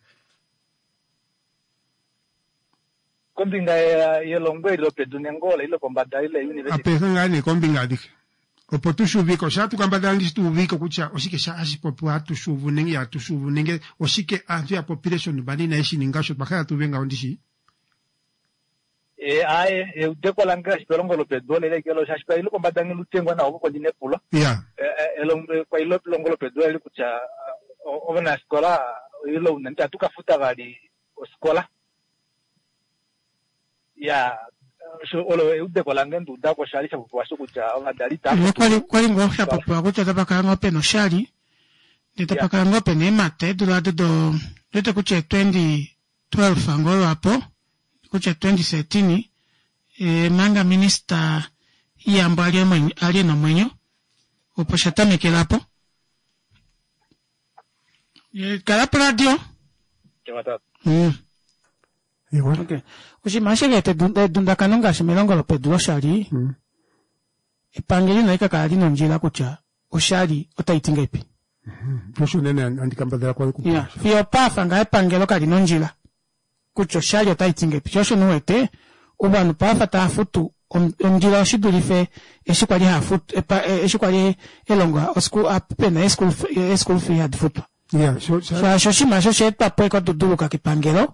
Speaker 8: Kombinga yelongo eli lopedu nenge ole ile pombada ile university.
Speaker 1: Apehe ngaa nee kombinga adhihe. Opo tushuvike, osha tukambadhala ndishi tuuvike kutya oshike sha hashi popiwa hatu shuvu nenge ihatu shuvu nenge oshike aantu ya popile shontumba inaye shi ninga osho twa hala tuuve ngaho ndishi.
Speaker 8: E aye eudeko lange ngaashi pelongo lopedu ole ile shaashi pa ile pombada ngilutengwa nawo opo ndine epulo.
Speaker 1: Yeah.
Speaker 8: Elongo kwa ile pelongo lopedu eli kutya ovanafikola ile una nti atukafuta vali osikola. Ya olo eudeko lange nduudako shali shapopiwa kutya ovadali ta
Speaker 2: kwali kwali ngoo shapopiwa kutya tapakala ngoo pena oshali ndee tapakala ngoo pena eemata eedula ado do ndete kutya twenty twelve ngoo lwapo kutya twenty thirteen e, manga minista Iyambo ali ena omwenyo opo shatamekelapo. Kala po radio. Mm. Okay. Oshinima sheke edundakano ngaashi melongo lopedu loshali mm. epangelo inali kakala lina ondjila kutya oshali otayi ti ngaipi.
Speaker 1: Osho unene andikambadhala kwali ku.
Speaker 2: Yeah. Fiyo pafa nga epangelo kalina ondjila kutya oshali otayi ti ngaipi. Sho osho nuwete Ovanhu paife tava futu ondilo shi dulife eshi kwali hava futu eshi kwali elongo pena ee-school fee hadi futwa. Shaashi oshinima osho osha etwa po ekaduduluka kepangelo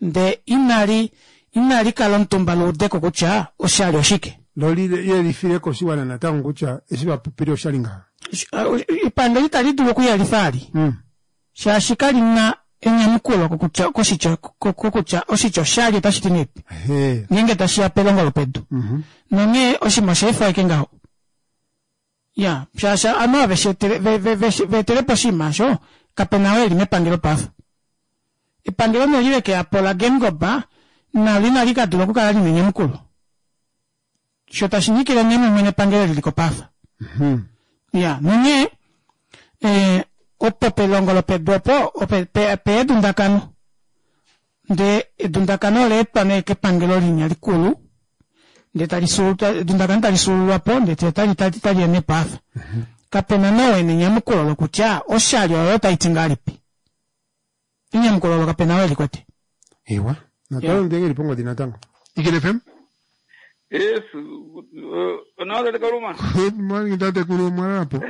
Speaker 2: ndee inali inali kala omutumba luudeko kutya oshali oshike.
Speaker 1: Lo liyelifile koshiwana natango kutya eshi vapopile oshali ngaha.
Speaker 2: Epangelo itali dulu okuyelifa ali. Shaashi kalina enyamukulo kokutya koshitya kokutya oshitya oshali otashi ti ngahelipi ngeenge tashiya pelongo lopedu. Nonghee oshinima osha efa ashike ngaho. Ya, shaashi ovanhu ava veetelepo oshinima osho kapena oo eli mepangelo paife. Epangelo nee eli lekeyapo laGeingob nalo inali kadula okukala lina enyamukulo. Sho tashi nyikile nee mumwe nepangelo eli liliko paife. Ya, nonghee eh, opo pelongo lopedu opo ope peya edundakano. Ndee edundakano ola etwa nee kepangelo linya likulu ndee tali edundakano tali suululwapo ndee tali taliya nee paife. Kapena nee oo ena enyamukulo lokutya oshali oyo otaiti ngahelipi. Enyamukulo olo kapena oo elikwete.
Speaker 1: Ewa, natango ndenge eli pongodi natango. Eagle F M?
Speaker 9: Yes, onawa tate Kaluma.
Speaker 1: Good morning tatekulu, omwalalapo?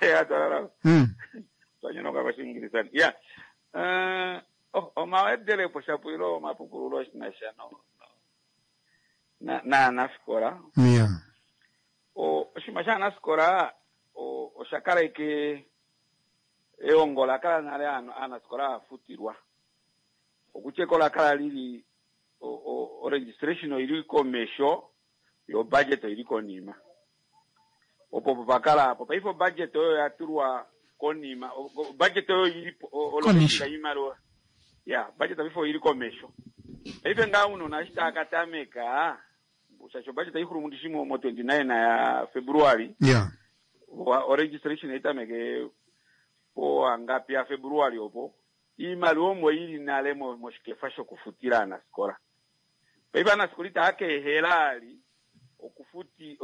Speaker 9: Ya twalalapo.
Speaker 1: Mm.
Speaker 9: Twanyonoka koshiingilisani. Ya. Eh, oh, omawedelepo shapo ile omapukululo shi na sha no na naanafikola.
Speaker 1: Yeah.
Speaker 9: O oshinima shaanafikola o osha kala ike eongo la kala nale aanafikola hava futilwa. Okutya eko la kala lili o o registration oili komesho yo budget oili konima. Opo opo pakala apo. Paife o budget oyo ya tulwa konima, o budget oyo ili olongekida iimaliwa. Ya, budget paife oili komesho. Paife ngaa ounona eshi tava ka tameka, shaashi o budget ohaixulu mundishi mo twenty-nine ya February.
Speaker 1: Yeah.
Speaker 9: O registration oitameke po angapi ya February opo. Iimaliwa omo ili nale moshikefa shokufutila aanafikola. Paife aanafikola itava ka ehela ali okufuti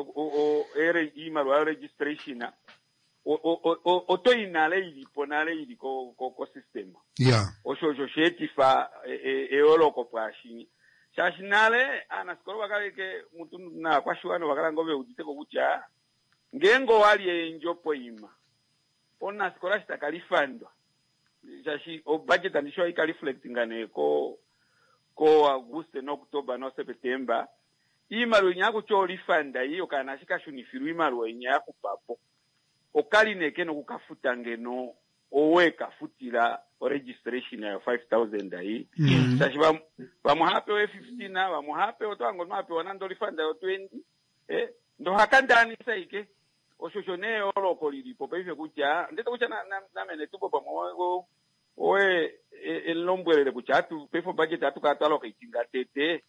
Speaker 9: iimaliwa yo registration oto i nale ilipo nale ili ko ko system.
Speaker 1: Yeah.
Speaker 9: Osho osho sheetifa eyooloko pwaashinya. Shaashi nale aanafikola ovakala ke mutu naakwashiwana ovakala ngoo veuditeko kutya ngeenge owali eendjo poima omunafikola eshi taka lifandwa shaashi o budget andisho ohaika reflectinga nee ko ko Auguste noOctober noSeptember iimaliwa inya kutya olifanda iyi okaana eshi kashunifilwa iimaliwa inya yaxupapo okali nee kena okukafuta ngeno owe kafutila o registration yayo five thousand ei shaashi vamwe ohaapewa fifteen vamwe ohaapewa otohange omunhu apewa nande olifanda yo twenty eh ndo ohakandaanisa ike osho osho nee eyooloko lilipo paife kutya ndete kutya namene tumbo pamwe owe elombwelele kutya atu paife obudget atu kala twaloka itinga tete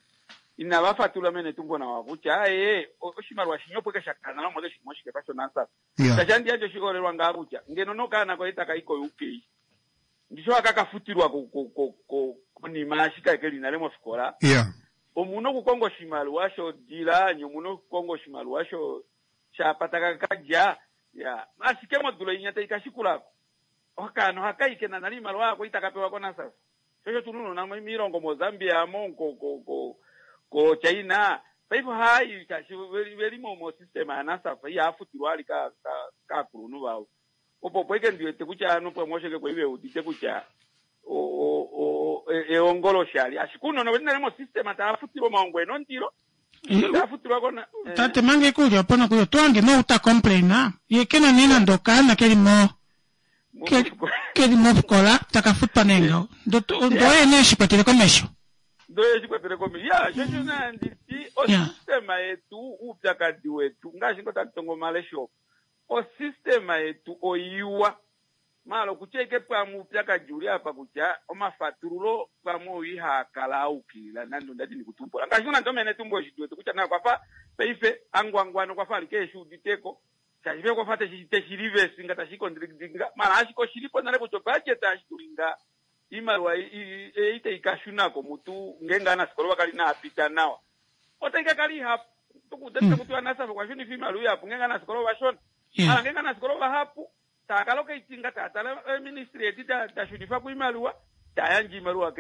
Speaker 9: inava fatula mene tumbo nawa kutya aye oshimaliwa shinyopo ke shakana nomo keshi moshikefa shonansa shaashi andi yandje oshiholelwa ngaa kutya ngeno nokaana koye taka i ko U K ndisho akakafutilwa konima ashike keli nale mofikola. Omuna okukonga oshimaliwa shodila nye omuna okukonga oshimaliwa sho shapataka kadja ya ashike modula inya taikashikulako okaana ohakayi kena nale iimaliwa yako itaka pewa koNASFAS shosho tununona miilongo moZambia mo ko ko ko China paife ohaayi shaashi veli mo mo system ya NASFAS ihaafutilwa ali ka kaakulunhu vavo opo opo ike ndiwete kutya ovanhu pamwe osho ke veudite kutya o o eongo loshali ashike ounona veli nale mo system tava futilwa omaongo ena ondilo tava kona
Speaker 2: tate mange kulya opo nokuyo twange no uta complain ye kena nee nande okaana keli mo keli mofikola taka futwa nee ngaho ndo oye nee shikwatele komesho
Speaker 9: ndo ye shikwatele komesho ya shosho nanditi osystema yetu uupyakadi wetu ngaashi ngo tatu tongo omalesho osystema yetu oiwa malo kutya ike pamwe uupyakadi uli apa kutya omafatululo pamwe oi haakala aukilila nande ondati ndikutumbula ngaashi nande omene tumbo oshidu wetu kutya na kwafa paife angwangwana kwafa alike eshuuditeko shaashi pe kwafa teshilivesi nga tashikondridinga mala ashike oshilipo nale kutya obudget ashitulinga iimaliwa ei taikashunako mutu ngeenge aanafikola vakali naapita nawa otaikakala ihapu tukutatiwa NASFAS kwashunifa iimaliwa ihapu ngeenge aanafikola ovashona mala ngeenge aanafikola ovahapu taakala okaitinga taatala ministry edi tashunifa kuimaliwa Tayandje iimaliwa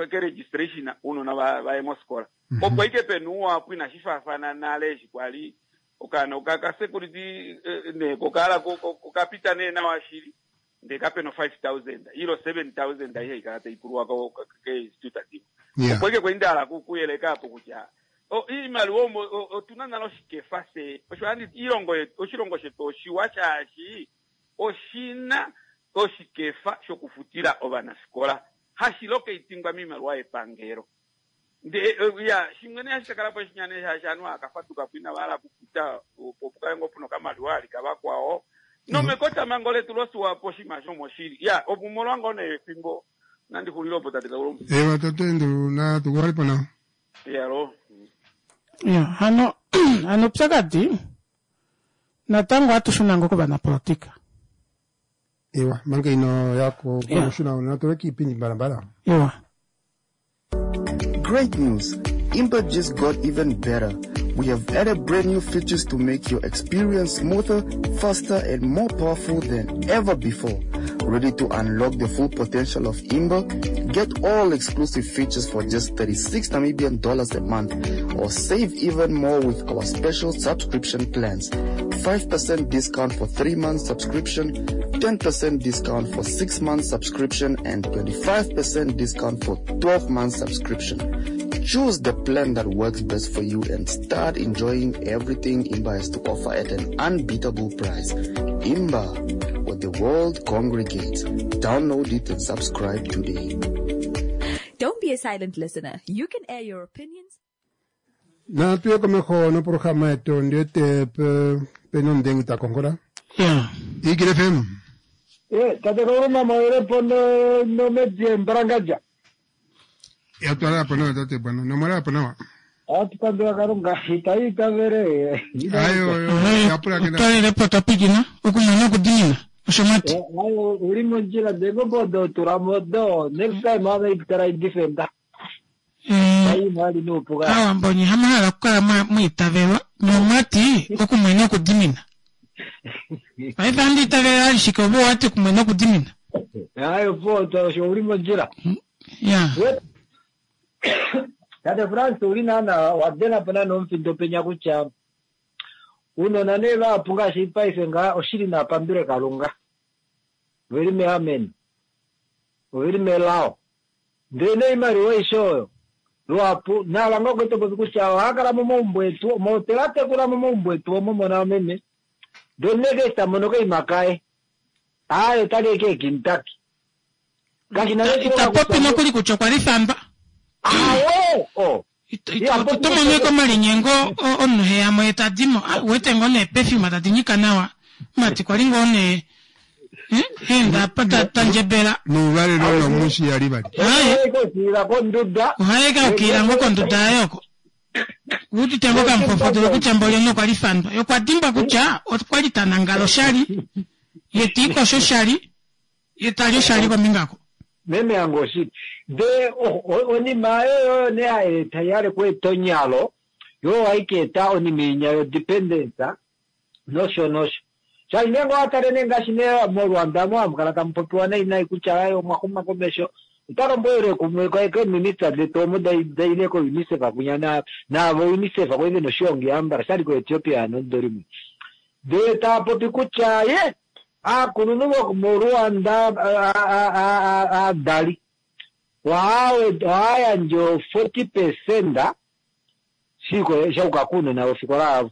Speaker 9: keregistration uunona vaye mosikola. Opo ike pena uuwapu inashi faafana nale eshi kwali okaana oka security nee kokala kokapita nee nawa shili ndee kapena o five thousand ilo seven thousand aihe haikala taipulwa keinstitute dimwe. Opo ike kwali ndahala kuyeleka apo kutya iimaliwa omo otuna nale oshikefa se osho handi iilongo yetu oshilongo shetu oshiwa shaashi oshina oshikefa shokufutila ovanafikola hashi lokeitingwa miimaliwa yepangelo. Nde ya shimwe nee hashi kakala po shinyane shaashi ovanhu hakafatuka po inava hala okufuta opo pukale ngoo puna okamaliwa alika vakwao nomekotamango letu loSWAPO oshinima shomoshili ya opo molwa ngoo nee efimbo nandi xulile opo tate Kauluma.
Speaker 1: Ewa tate Andrew na tukuhalipo nawa.
Speaker 9: Yalo.
Speaker 2: Ya hano hano upyakadi natango ohatu shuna ngoo kovanapolitika.
Speaker 1: Ewa manga ino yako
Speaker 2: Yeah.
Speaker 1: kushuna natoleka iipindi mbalambala.
Speaker 2: Ewa.
Speaker 3: Great news! Imba just got even better. We have added brand new features to make your experience smoother, faster, and more powerful than ever before. Ready to unlock the full potential of Imba? Get all exclusive features for just thirty-six Namibian dollars a month, or save even more with our special subscription plans. five percent discount for three months subscription, ten percent discount for six months subscription, and twenty-five percent discount for twelve months subscription. Choose the plan that works best for you and start enjoying everything Imba has to offer at an unbeatable price. Imba, where the world congregates. Download it and subscribe today.
Speaker 10: Don't be a silent listener. You can air your opinions.
Speaker 1: Natu ye komeho noprograma yetu ndiwete pena omudengi ta konkola.
Speaker 2: Yeah.
Speaker 1: Eagle F M.
Speaker 11: Eh, tate Kauluma mawelepo no no medie mbarangaja.
Speaker 1: Ya twala hapo nawa tate bwana. Nomwala hapo nawa.
Speaker 11: Atupandula Kalunga itaitavele.
Speaker 1: Ayo yo yapula kenda.
Speaker 2: Otwalilepo twapikina okumona okudimina osho mwati.
Speaker 11: Ayo uli mondjila ndego bodo tulamodo next time ame ikutala defender.
Speaker 2: Eh,
Speaker 11: Ayi nuupuka.
Speaker 2: Aawambo nye hamuhala okukala mwiitavelwa nomwati okumwena okudimina. Paife andi itavela alishike obo wati okumwena okudimina.
Speaker 11: Ayo po osho uli mondjila.
Speaker 2: Ya.
Speaker 11: Tate France uli nana wadena pona nomufindo penya kutya uunona nee vahapu ngaashi paife nga oshili napandule Kalunga. Oveli meameno. Oveli melao. Ndele noimaliwa aishe oyo luhapu nalanga okweto popi kutya ohakala momaumbo etu mohotela tekula momaumbo etu omo mona meme. Ndele neke tamono koima kaye. Ayo tali eke ekintaki.
Speaker 2: Itapopi nokuli kutya okwa li famba.
Speaker 11: Awe! Oh.
Speaker 2: Oto mono komalinyengo omunhu heyamo ye tadimo wete ngoo nee perfume tadi nyika nawa mati kwali ngoo nee enda apa tandjebela
Speaker 1: nuuvalelo nomushi yali vali
Speaker 2: ohaye kaukilila ngoo konduda yaye oko uudite ngoo kamufofodolo kutya mboli ono kwali fandwa ye okwa dimbwa kutya okwali tanangala oshali ye tiikosho oshali ye tali oshali kombinga ako.
Speaker 11: Meme yange oshili ndee onima oyo ne haeta yale kueta onyalo yo haikeeta onima inya yo dependence nosho nosho shaashi ngeenge owatale nee ngaashi nee moRwanda mo hamukala tamupopiwa nai nai kutya aye omwaxuma komesho otalombwelwe kumwe keeminista detu omo daile ko UNICEF kunya naavo UNICEF kwali vena oshiongi ambala shali ko Ethiopia nomudo limwe ndee taapopi kutya ye aakulunhu vomoRwanda aadali ohayandje o forty percent shauka kuunona vofikola avo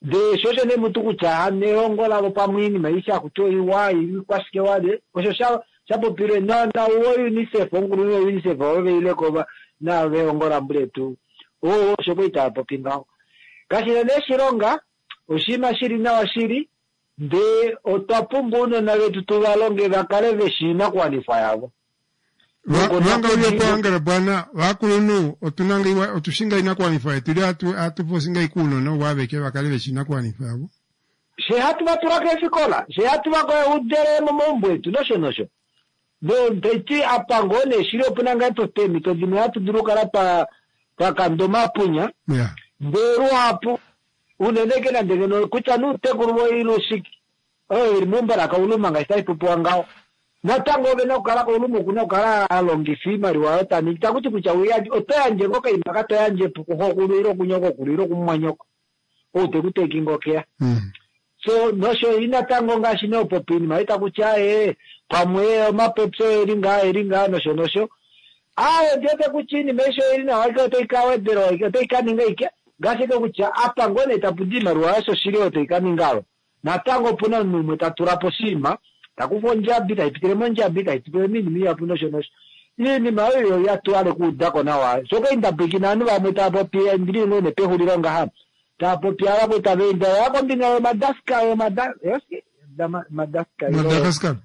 Speaker 11: ndee shosho nee mutu kutya nelongo lavo pamwe oinima aishe akuti oiwa ikwashike wale osho shapopilwe nauwo UNICEF omukulunhu wo UNICEF ovo veileko navelongo lambuletu oo osho kwali taapopi ngaho kashina nee shilonga oshinima shili nawa shili ndee otwa pumbwa ounona vetu tuvalonge vakale veshi oinakuwanifwa yavo.
Speaker 1: Vanga uliopo bwana vakulunhu otuna otushinga inakuwanifwa yetu ili atuposinga ikuunona waveke vakale veshi inakuwanifwa yavo.
Speaker 11: She hatu vatula keefikola she hatu vaudele momaumbo etu nosho nosho taiti apa ngoo nee shili opuna ngaa peemhito dimwe hatu dulu okukala twakanda omapunya ndee luhapu unene ke nande ngeno kutya nuutekulu voilushiki Oyo ili meumbo lakauluma ngaashi taipopiwa ngaho. Natango ove na okukala kauluma okuna okukala alongifa iimaliwa oyo taningi. Takuti kutya oto yandje ngoo kaima ka to yandje kuxokulu ile kunyokokulu ile kumumwanyoko. Ou teku teki ngoo keya. So nosho natango ngaashi neopopi iinima itakutya ee pamwe omapopyo eli ngaa eli ngaa nosho nosho. Aaye ndiwete kutya iinima aishe oili nawa ike otai ka wedelwa otai ka ninga ike ngaashi ike kutya apa ngoo nee tapu di iimaliwa yasho shili oyo tai ka ninga oyo. Natango opuna omunhu umwe ta tula po oshinima takufa ondjabi taipitile mondjabi taipitile moinima ihapu nosho nosho. Iinima oyo yatwale okuudako nawa. Shoka indapwikina ovanhu vamwe tava popi ndili ngoo nee pexulilo ngaha. Tava popi ava tava enda ya kombinga yoMadagascar yoMadagascar
Speaker 1: Madagascar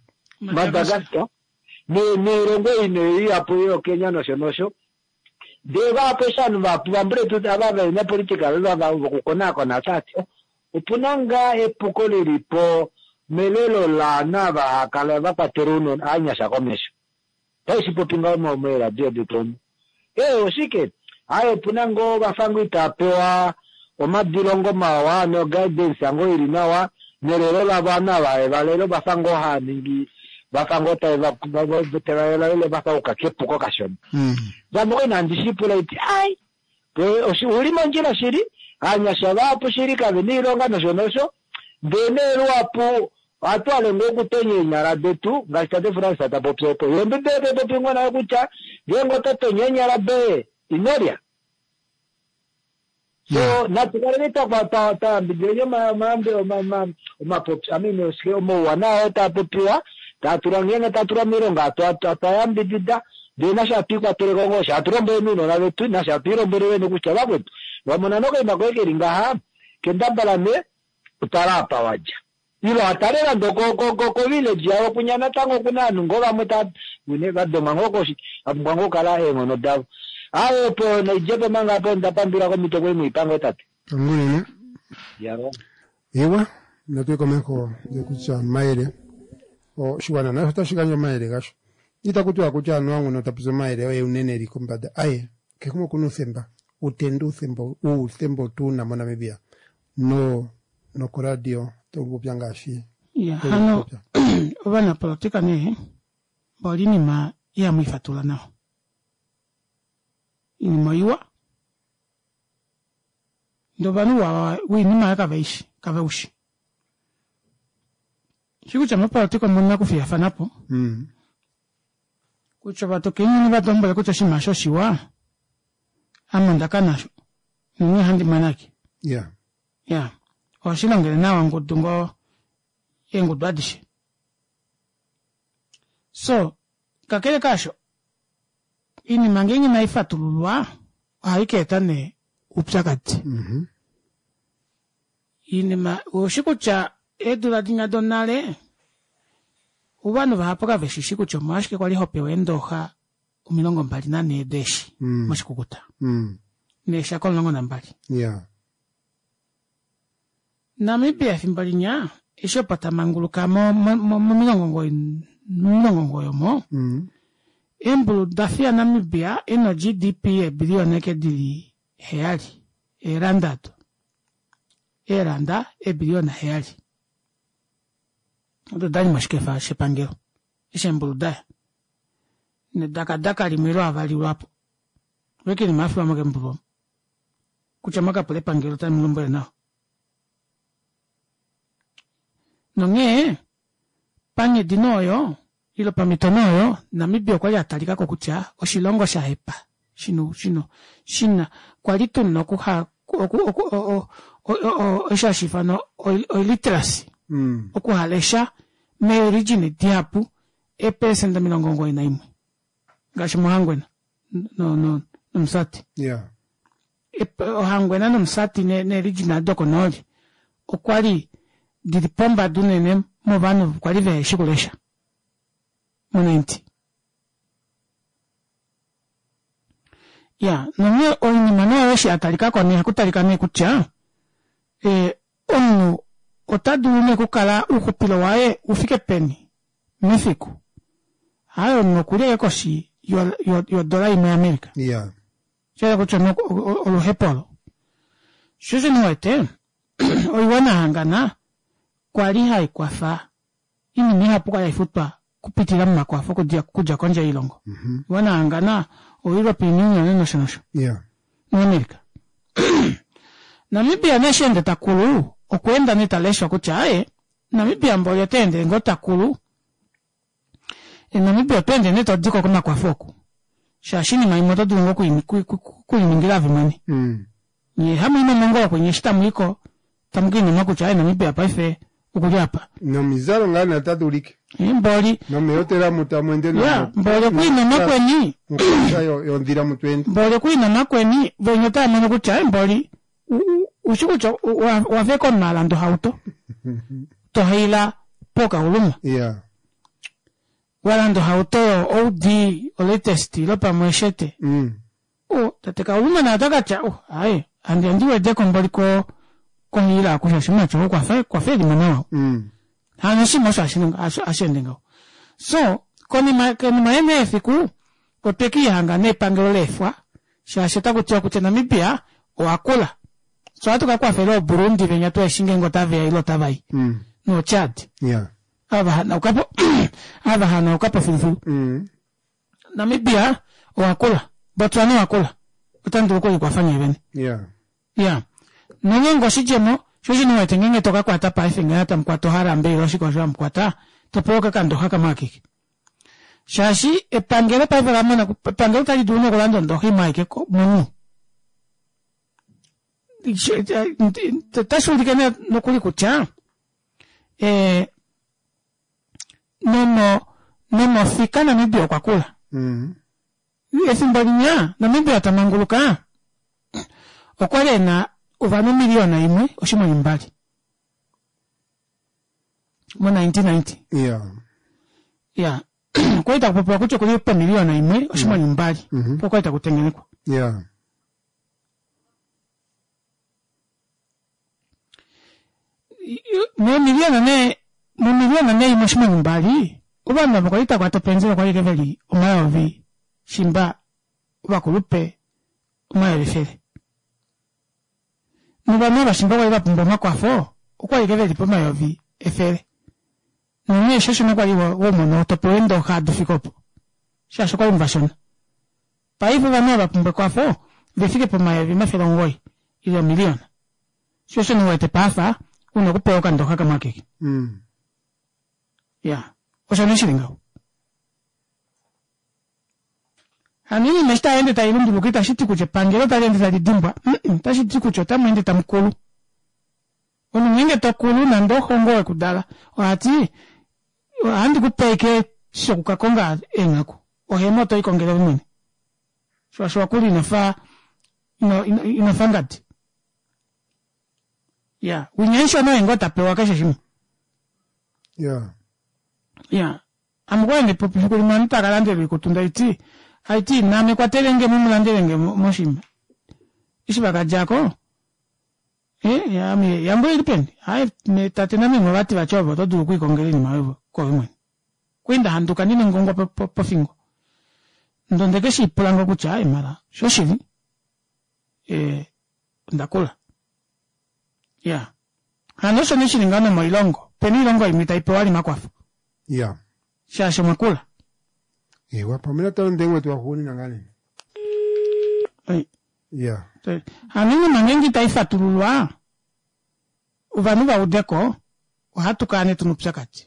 Speaker 11: Madagascar neelongo ine ihapu yoKenya nosho nosho. Ndee vahapu eshi ovanhu vahapu vambuletu ava vena politika vokukonaakona otavati opuna ngaa epuko lilipo melelo laanhu ava hakala vakwatela ounona ovanyasha komesho. Otashi popi ngaho meeradio detu omu. Ee oshike? Aye opuna ngoo vafa itava pewa omadilongo mawa no guidance ngoo ili nawa nelelo lavo ovanhu ava valelo vafa ngoo haaningi vafa ngoo tava vafa uka kepuko kashona. Vamwe inandi shipula iti ai uli mondjila shili aanyasha vahapu shili kave na iilonga nosho nosho ndee nee luhapu ohatu hale ngoo okutonya eenyala detu ngaashi tate Francis ta popi opo ye ombibeli tai popi ngoo nayo kutya ngeenge oto tonya eenyala doye inolya. So natu kaleni twayambidideni omapopyo I mean omauwanawa oo taa popiwa taa ngeenge taa tulwa miilonga twayambidida ndee nasho hatu ikwateleko ngoo sha hatu lombweleni ounona vetu nasho hatu ilombwele vene kutya vakwetu wamona nokaima koye keli ngaha kendabala ne utala apa wadja. Ilo atale nande ko village yawo kunya natango okuna ovanhu ngoo vamwe vadomwa ngoo koshi vapumbwa ngoo okukala eenghono davo. Aye opo naidjepo manga apo ndapandula komito kwei muipango tate.
Speaker 1: Tangunene. Ewa natuye komeho ndekutya mayele oshiwana nasho otashi gandja omayele gasho. Itaku tiwa kutya anuwa nguno tapopi omayele oye unene eli kombada. Aye kehe umwe okuna uuthemba utende uuthemba uuthemba otuna moNamibia no nokoradio tolupopya ngaashi
Speaker 2: Ya, hano ovanapolitika nee mboli inima ihamu ifatula nawa. Iinima oiwa ndee ovanhu wiinima kaveishi kaveushi. Shi kutya mopolitika omuna okufiyafanapo kutya ovatokenyeni vatombwele kutya oshinima osho oshiwa ame ondaka nasho nonghee handi mwenake.
Speaker 1: Yeah.
Speaker 2: Ya, ohashi longele nawa ongudu ngoo eengudu adishe. So kakele kaasho iinima ngeenge inai fatululwa ohai ka eta nee oupyakadi. Iinima oushi kutya eedula dinya donale ovanhu vahapu kaveshishi kutya omolwashike kwali hopewa eendooxa omilongo mbali nanhee deeshi moshikukuta neeshako omulongo nambali.
Speaker 1: Yeah.
Speaker 2: Namibia efimbo linya eshi opo tamanguluka momilongo omugoyi momilongo omugoyi omo eembulu dafiya Namibia ena G D P yeebiliyona eke dili heyali eelanda ado eelanda eebiliyona heyali odo dali moshikefa shepangelo eshi eembulu daya nedakadaka limwe ilo avali lwapo lweke lima afiwa mokembulu omo kutya mwakapula epangelo tali mulombwele nawa. Nonghee panghedi nooyo ilo pamhito nooyo Namibia okwali atalikako kutya oshilongo shahepa shino shino shina kwali tuna okuha osho hashi ifanwa oiliteracy okuhalesha meeorigin dihapu eepelesenda omilongo omugoyi naimwe ngaashi mOhangwena noMusati.
Speaker 1: Yeah.
Speaker 2: Ohangwena noMusati neeregina dokonooli okwali dili pombada unene movanhu kwali veheshi kulesha mo ninety. Ya, nonghee oinima nayo eshi yatalikako nee ohakutalika nee kutya omunhu ota dulu nee okukala ouxupilo waye ufike peni mefiku. Haye omunhu okuli ashike koshi yodola imwe yaAmerica.
Speaker 1: Yeah.
Speaker 2: Shahala kutya oluhepo olo. Sho osho ndiwete oiwana yahangana Kwa li haikwafa inima ihapu kwali haifutwa kupitila momakwafo okudja okudja kondje yoilongo. Iwana yahangana, o European Union nosho nosho.
Speaker 1: Yeah.
Speaker 2: NoAmerica. Namibia nee eshi ende takulu, okwa enda nee taleshwa kutya aaye, Namibia mboli ota endele ngoo takulu, Namibia oto ende nee todiko komakwafo oku. Shaashi oinima imwe oto dulu ngoo okuliningila ove mwene. Nyee hamu i nomongolo kwenye eshi tamu iko tamu kiinima kutya aaye Namibia paife okuli apa.
Speaker 1: Nomizalo ngaa nee otadi ulike.
Speaker 2: Mboli.
Speaker 1: Nomeehotela mu tamu ende
Speaker 2: Ya, mboli okwiinoma kweni.
Speaker 1: Mokwaasha yondhila mu to ende.
Speaker 2: Mboli okwiinoma kweni, venya otava mono kutya aaye mboli ushi kutya owa fa omunhu a landa ohauto tohaila pookauluma.
Speaker 1: Yeah.
Speaker 2: Walanda ohauto yo O D olatest ile pamwe eshete.
Speaker 1: Mm.
Speaker 2: O tate Kauluma naye otakatya oh aaye handi handi wedeko mboli ko kohiila oku shaashi mumati ou okwafa okwafa elimo nawa.
Speaker 1: Mm.
Speaker 2: Hano oshinima osho hashi ende ngaho. So konima konima nee yefiku otwe kiihanga nee epangelo leefwa shaashi ota kutiwa kutya Namibia owakula. So ohatu kakwafela oo Burundi venya tuheshi ngeenge otaveya ile otavai.
Speaker 1: Mm.
Speaker 2: Noo Chad.
Speaker 1: Yeah.
Speaker 2: Ava hanaukapo ava hanaukapo filufilu.
Speaker 1: Mm.
Speaker 2: Namibia owakula. Botswana owakula. Otamu dulu okulikwafa nyee vene.
Speaker 1: Yeah.
Speaker 2: Ya. Nongeenge oshidjemo, sho osho nee uwete ngeenge to ka kwata paife ngaha tamu kwata oharambe ile oshike osho hamu kwata, to pewa okakandoxa kamwe akeke. Shaashi epangelo paife ola mona, epangelo otali dulu nee okulanda ondoxa imwe aike komunhu. Otashi ulike nee nokuli kutya, ee nomo nomofika Namibia okwa kula.
Speaker 1: Mm.
Speaker 2: Efimbo linya Namibia tamanguluka, okwali ena ovanhu omiliyona imwe oshimwenyo mbali. Mo nineteen ninety.
Speaker 1: Yeah.
Speaker 2: Ya. Okwali takupopiwa kutya okuli pomiliyona imwe oshimwenyo mbali.
Speaker 1: Mm-hmm.
Speaker 2: Okwali takutengenekwa.
Speaker 1: Yeah.
Speaker 2: Momiliyona nee, momiliyona nee imwe oshimwenyo mbali, ovanhu ava kwali takwata openzela okwali ashike veli omayovi shimba ovakulupe omayovi efele. Novanhu ava shimba kwali vapumbwa omakwafo, okwali ashike veli pomayovi efele. Nonghee osho osho kwali womona topewa eendoxa adufika opo. Shaashi okwali muvashona. Paife ovanhu ava vapumbwa ekwafo, vefike pomayovi omafele omugoyi, ile omiliyona. Sho osho nee uwete paafa, una okupewa okandoxa kamwe akeke.
Speaker 1: Mm.
Speaker 2: Ya, osho nee shili ngaho. Hano oinima eshi tai ende tai lunduluka itashi ti kutya epangelo otali ende tali dimbwa, otashi ti kutya otamu ende tamu kulu. Omunhu ngeenge tokulu nande oxo ngoo wekudala, ohati ohandi kupe ashike shokukakonga eenghaku, ohema oto likongele ove mwene. Shaashi owakula inofa ino inofa ngadi. Ya, winya mushona oye ngoo tapewa keshe shimwe.
Speaker 1: Yeah.
Speaker 2: Ya, ame okwali handi popi fiku limwe ovanhu tava kalandelwa oikutu ndaiti, haiti naame kwatelenge mumulandelenge moshinima. Eshi vakadjako, eh ame yangu oili peni? Aaye tate nameme ovati vati ove oto dulu okwiikongela oinima yoye kwoove mwene. Okwali ndahanduka ndina engongwa pofingo. Ndee ondeke shiipula ngoo kutya aaye mala shoshili, ee ondakula. Ya, hano osho nee shili ngaho nomoilongo, opena oilongo imwe itaipewa vali omakwafo.
Speaker 1: Yeah.
Speaker 2: Shaashi omwakula.
Speaker 1: Ewa, pamwe natango ndengwe twaxuunina ngaa nee. Yeah.
Speaker 2: Hano oinima ngeenge itaifatululwa, ovanhu vaudeko, ohatu kala nee tuna oupyakadi.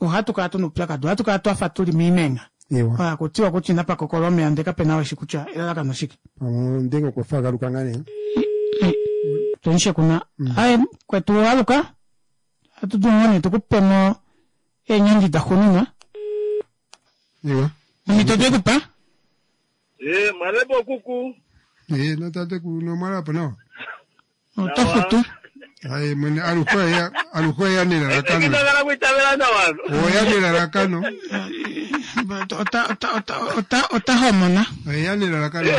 Speaker 2: Ohatu kala tuna oupyakadi, ohatu kala twafa tuli moimenha.
Speaker 1: Ewa.
Speaker 2: Hakutiwa kutya inapa kokolwa omeya ndee kapena ou eshi kutya elalakano oshike.
Speaker 1: Pamwe ndenge okwa fa akaluka ngaa nee.
Speaker 2: Tunishe kuna. Aye, kwetu aluka, ohatu dulu ngoo nee tukupemo eenyandi daxuuninwa.
Speaker 1: Ewa.
Speaker 2: Omhito twekupa?
Speaker 12: Eh, mwalepo kuku.
Speaker 1: Eh, notate kuno mwalapo nawa.
Speaker 2: Oto futu.
Speaker 1: Aye, mwene aluhe oya aluhe oya nelalakano.
Speaker 12: Ekitagala kuitavela nawa.
Speaker 1: Oya nelalakano.
Speaker 2: Ota ota ota ota ota homona.
Speaker 1: Oya nelalakano.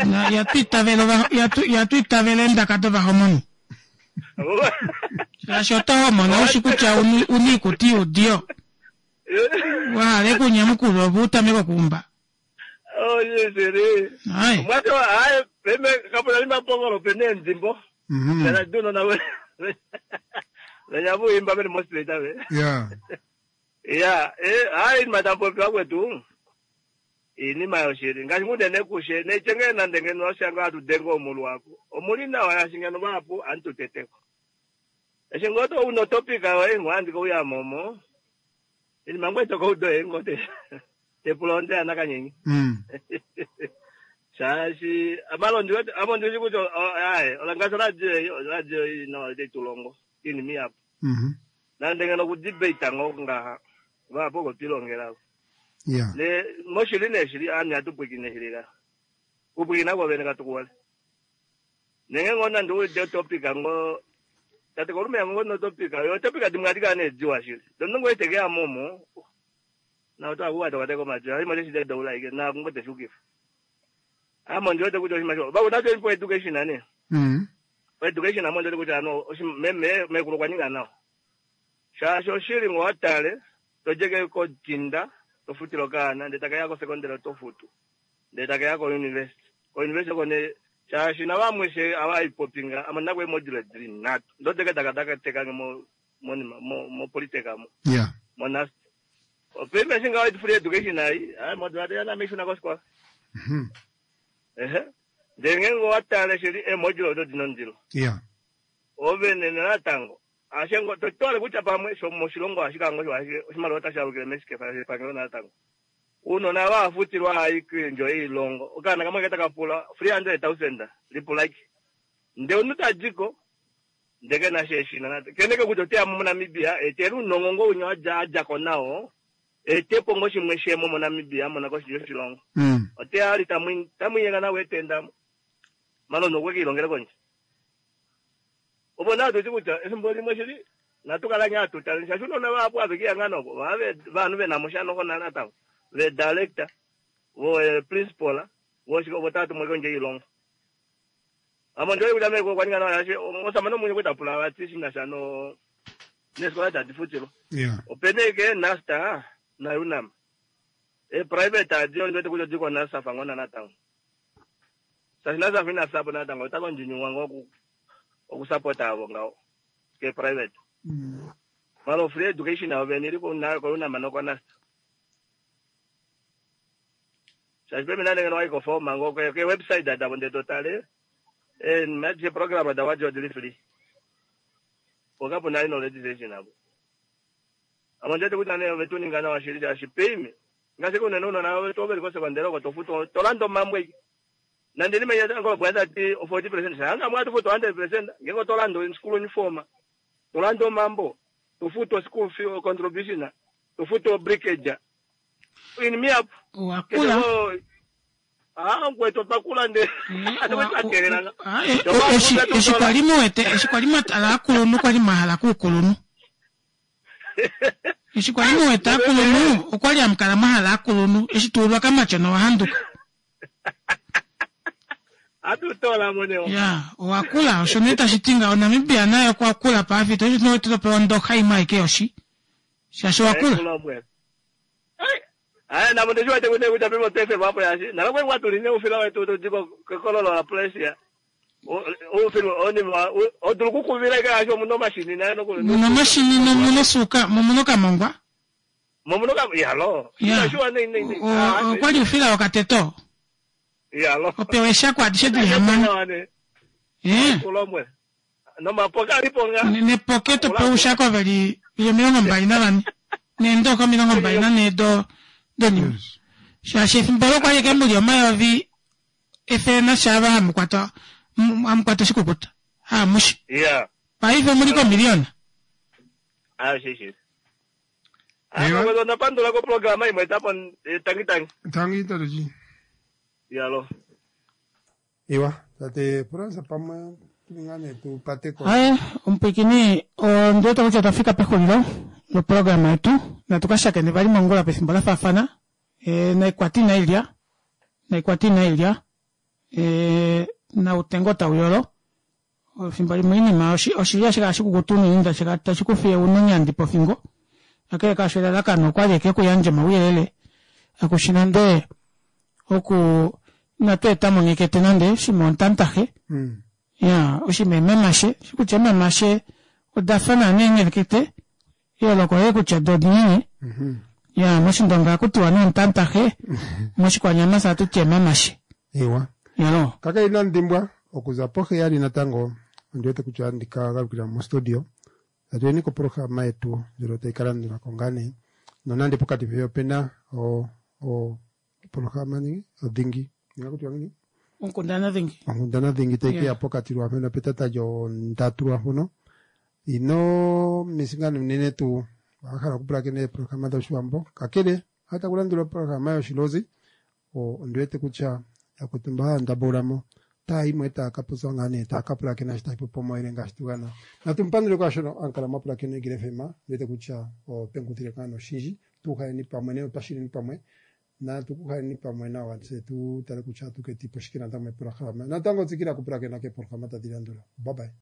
Speaker 2: Na yatu itavela yatu yatu itavela eendaka dovahomoni. Shaashi oto homona ushi kutya una iikuti yuudiyo. Wahala ekunyamukula ove utameke okuumba.
Speaker 12: Oh, yes, ere.
Speaker 2: Aye.
Speaker 12: Mwati wa aye, peme kapuna ni mapongolo pene endimbo.
Speaker 1: Mhm.
Speaker 12: Kana duno na we. Venya vuimba veli mostrate ave.
Speaker 1: Ya.
Speaker 12: Ya, eh hayi matampopi kwetu. Inima yoshili ngaashi ngunene kushe nechenge nande ngeno washanga atudenga omulu wako. Omuli nawa yashingeno vapo antuteteko. Eshingoto uno topika we ngwandika uya momo. Inima ngweto koudo engote. Tepulonde anakanyenyi.
Speaker 1: Mm.
Speaker 12: Shaashi amalondi wetu amondi kuti ayi olangasa radio radio ino tetulongo inimi yapo.
Speaker 1: Mhm.
Speaker 12: Nande ngeno kudebate ngo ngaha vapo kotilongela.
Speaker 1: Ya.
Speaker 12: Le moshili neshili ami atupwikine shilila. Kupwikina kwavene katukuwale. Nenge ngona ndi ude topic ngo tate kolume yango no topic yo topic dimwatika ne dziwa shili. Dondo ngwe momo. Na uta kuwa tokate ko majo. Ayi manje shide doula ike na ngote shukifa. Amo ndiwete kuti oshimasho. Bawo nacho ipo education ane.
Speaker 1: Mm.
Speaker 12: Education amo ndiwete kuti ano meme mekulu kwaninga nawo. Shasho shili ngwatale tojeke ko tinda tofutilo kana ndetaka yako secondary tofutu. Ndetaka yako university. Ko university kone shashi na vamwe she avaipopinga ama nakwe module dream nato. Ndoteke takataka teka mo mo mo mo politeka mo.
Speaker 1: Ya.
Speaker 12: Monast. Opeme shinga wa free education ayi. Ayi module yana mishuna ko sikola.
Speaker 1: Mhm.
Speaker 12: Ehe. Ndenge ngowatale shili e module ndo dinondilo.
Speaker 1: Ya.
Speaker 12: Ovene natango. Ashengo totole kutya pamwe sho moshilongo ashikango sho oshimaliwa otashi alukile mesikefa epangelo natango. Unona vafutilwa ayi kwindjo ilongo. Okana kamwe ketaka pula three hundred thousand lipula iki. Nde omuntu tajiko ndeke na sheshina nate. Keneke kuti oteya mu Namibia eteri unongo ngo unyo aja ajako nawo. Etepo ngo shimwe shemo mu Namibia mona ko shilongo.
Speaker 1: Mm.
Speaker 12: Oteya ali tamwi tamwiyenga nawe etendamo. Malondo kwekilongela konje. Obo nato tikuta efimbo limwe shili natukala nyatu tale shashu nona vapo avekiya ng'anoko vave vanhu venamushano kona natango ve director vo eh, principal vo shiko votatu mwe konje ilongo. Amo ndio kuda meko kwaninga na yashi osamano munye kuita pula vati shina shano nesikola tadifutilo.
Speaker 1: Ya.
Speaker 12: Openeke nasta na UNAM. E private adio ndio tikuja diko nasa fangona natango. Sasa nasa fina sapo natango takonjinywa ngoku okusapota avo ngawo ke private.
Speaker 1: Mm.
Speaker 12: Malo free education avo veniri ko na ko UNAM no nasta. Sasa peme nane ngeno waiko forma ngo ke ke website da bonde totale. E maje program da wajo dili free. Pokapo nali knowledge session abo. Amanje kuti ane vetuninga na washirija ashipime. Ngase kuna nono na wetu obeli kwa sekondari ko tofuto tolando mambwe. Nande nime yata ngo bwenda ti forty percent sanga mwatu futo hundred percent ngeko tolando in school uniform. Tolando mambo tofuto school fee contribution tofuto breakage. In me up.
Speaker 2: Wakula.
Speaker 12: Ah ngweto pakula nde. Atokuterera.
Speaker 2: Eshi eshi kwali muwete eshi kwali mwatala akulunhu kwali mwahala kuukulunhu. Eshi kwali muwete akulunhu okwali amukala mwahala akulunhu eshi tuulwa kamatyona wahanduka.
Speaker 12: Atutola moneo.
Speaker 2: Ya, owakula osho nee tashi ti ngaho Namibia naye okwa kula pamhito eshi topewa ondoxa imwe aike yoshi. Shaashi owakula.
Speaker 12: Aya namo ndishiwete kuti kuti pimo tefe vapo yashi. Nalakwe kwatuline ufila wetu tudiko kololo la place ya. Ufila oni odulu kukuvira ika yasho muno mashini nayo noku.
Speaker 2: Muno mashini nomuno suka momuno kamongwa.
Speaker 12: Momuno kam yalo.
Speaker 2: Ya.
Speaker 12: Ndashuwa nei nei nei.
Speaker 2: Okwali ufila wakateto.
Speaker 12: Yalo.
Speaker 2: Opewa eshako adishe dili hamano. Eh.
Speaker 12: Kulomwe. No mapoka aliponga.
Speaker 2: Nepoke topewa ushako veli vili omilongo mbali navane. Neendoka omilongo mbali nanhe do donima. Shaashi efimbo olo kwali eke muli omayovi efele nashaava hamukwatwa hamukwata oshikukuta. Haamushi.
Speaker 12: Yeah.
Speaker 2: Paife omuli komiliona.
Speaker 12: Ah shi shi. Ah ngozo napandula ko programa imwe tapo tangi tangi.
Speaker 1: Tangi tatoji.
Speaker 12: Yalo.
Speaker 1: Iwa, tate Fransa pamwe tulingane tupate ko.
Speaker 2: Aye, omupwikini ondiwete kutya otwafika pexulilo loprograma yetu natukashakene vali mongula pefimbo lafaafana. E, naikwati inailya naikwati inailya e, nautengo tauyolo efimbo limwe inima oshilya shikala shikukutu unene tashi kufiye unonyandi pofingo. Kakele kaasho elalakano okwali eke kuyandja omauyelele akushi nande oku inatu eta monyekete nande shimwe ontantahe.
Speaker 1: Mm.
Speaker 2: Ya oshinima eemamashe shi kutya eemamashe odafa naana eenghelekete eyooloko oleli kutya do odinini ya moshindonga ohakutiwa nee ontantahe moshikwanyama fye ohatuti eemamashe
Speaker 1: Ewa.
Speaker 2: Yalo.
Speaker 1: Kakele inandi dimbwa okuza poheyali natango ondi wete kutya ohandi ka galukila mostudio tatu yeni koprograma yetu ndjono tayi ka landula ko ngaa nee nonande pokati fiyo opena o o oprograma nini odhingi ingakutiwa ngini
Speaker 2: Onkundana dhingi.
Speaker 1: onkundana dhingi tayi keya
Speaker 2: Yeah.
Speaker 1: pokati lwaampono petata lyondatu lwaampono ino misinga unene tuu wahala okupulakena eeprograma dhoshiwambo kakele hata kulandula oprograma yoshilozi ondi wete kutya yakwetu mba haya ndambuulamo taa yimwe taa ka popya ngaa nee taa ka pulakena shi tashi popi omayele ngaashi tugana natu mupandule kwaashono ankala mwapulakena Eagle FM ndi wete kutya openguthile ngaa noshindji tuuhaleni pamwe ne otwashileni pamwe natu kuhaleni pamwe nawa tse tu tale kutya atu ketipo shike natango meprograma natango tsikila okupulakena keeprograma tadhi landula bye bye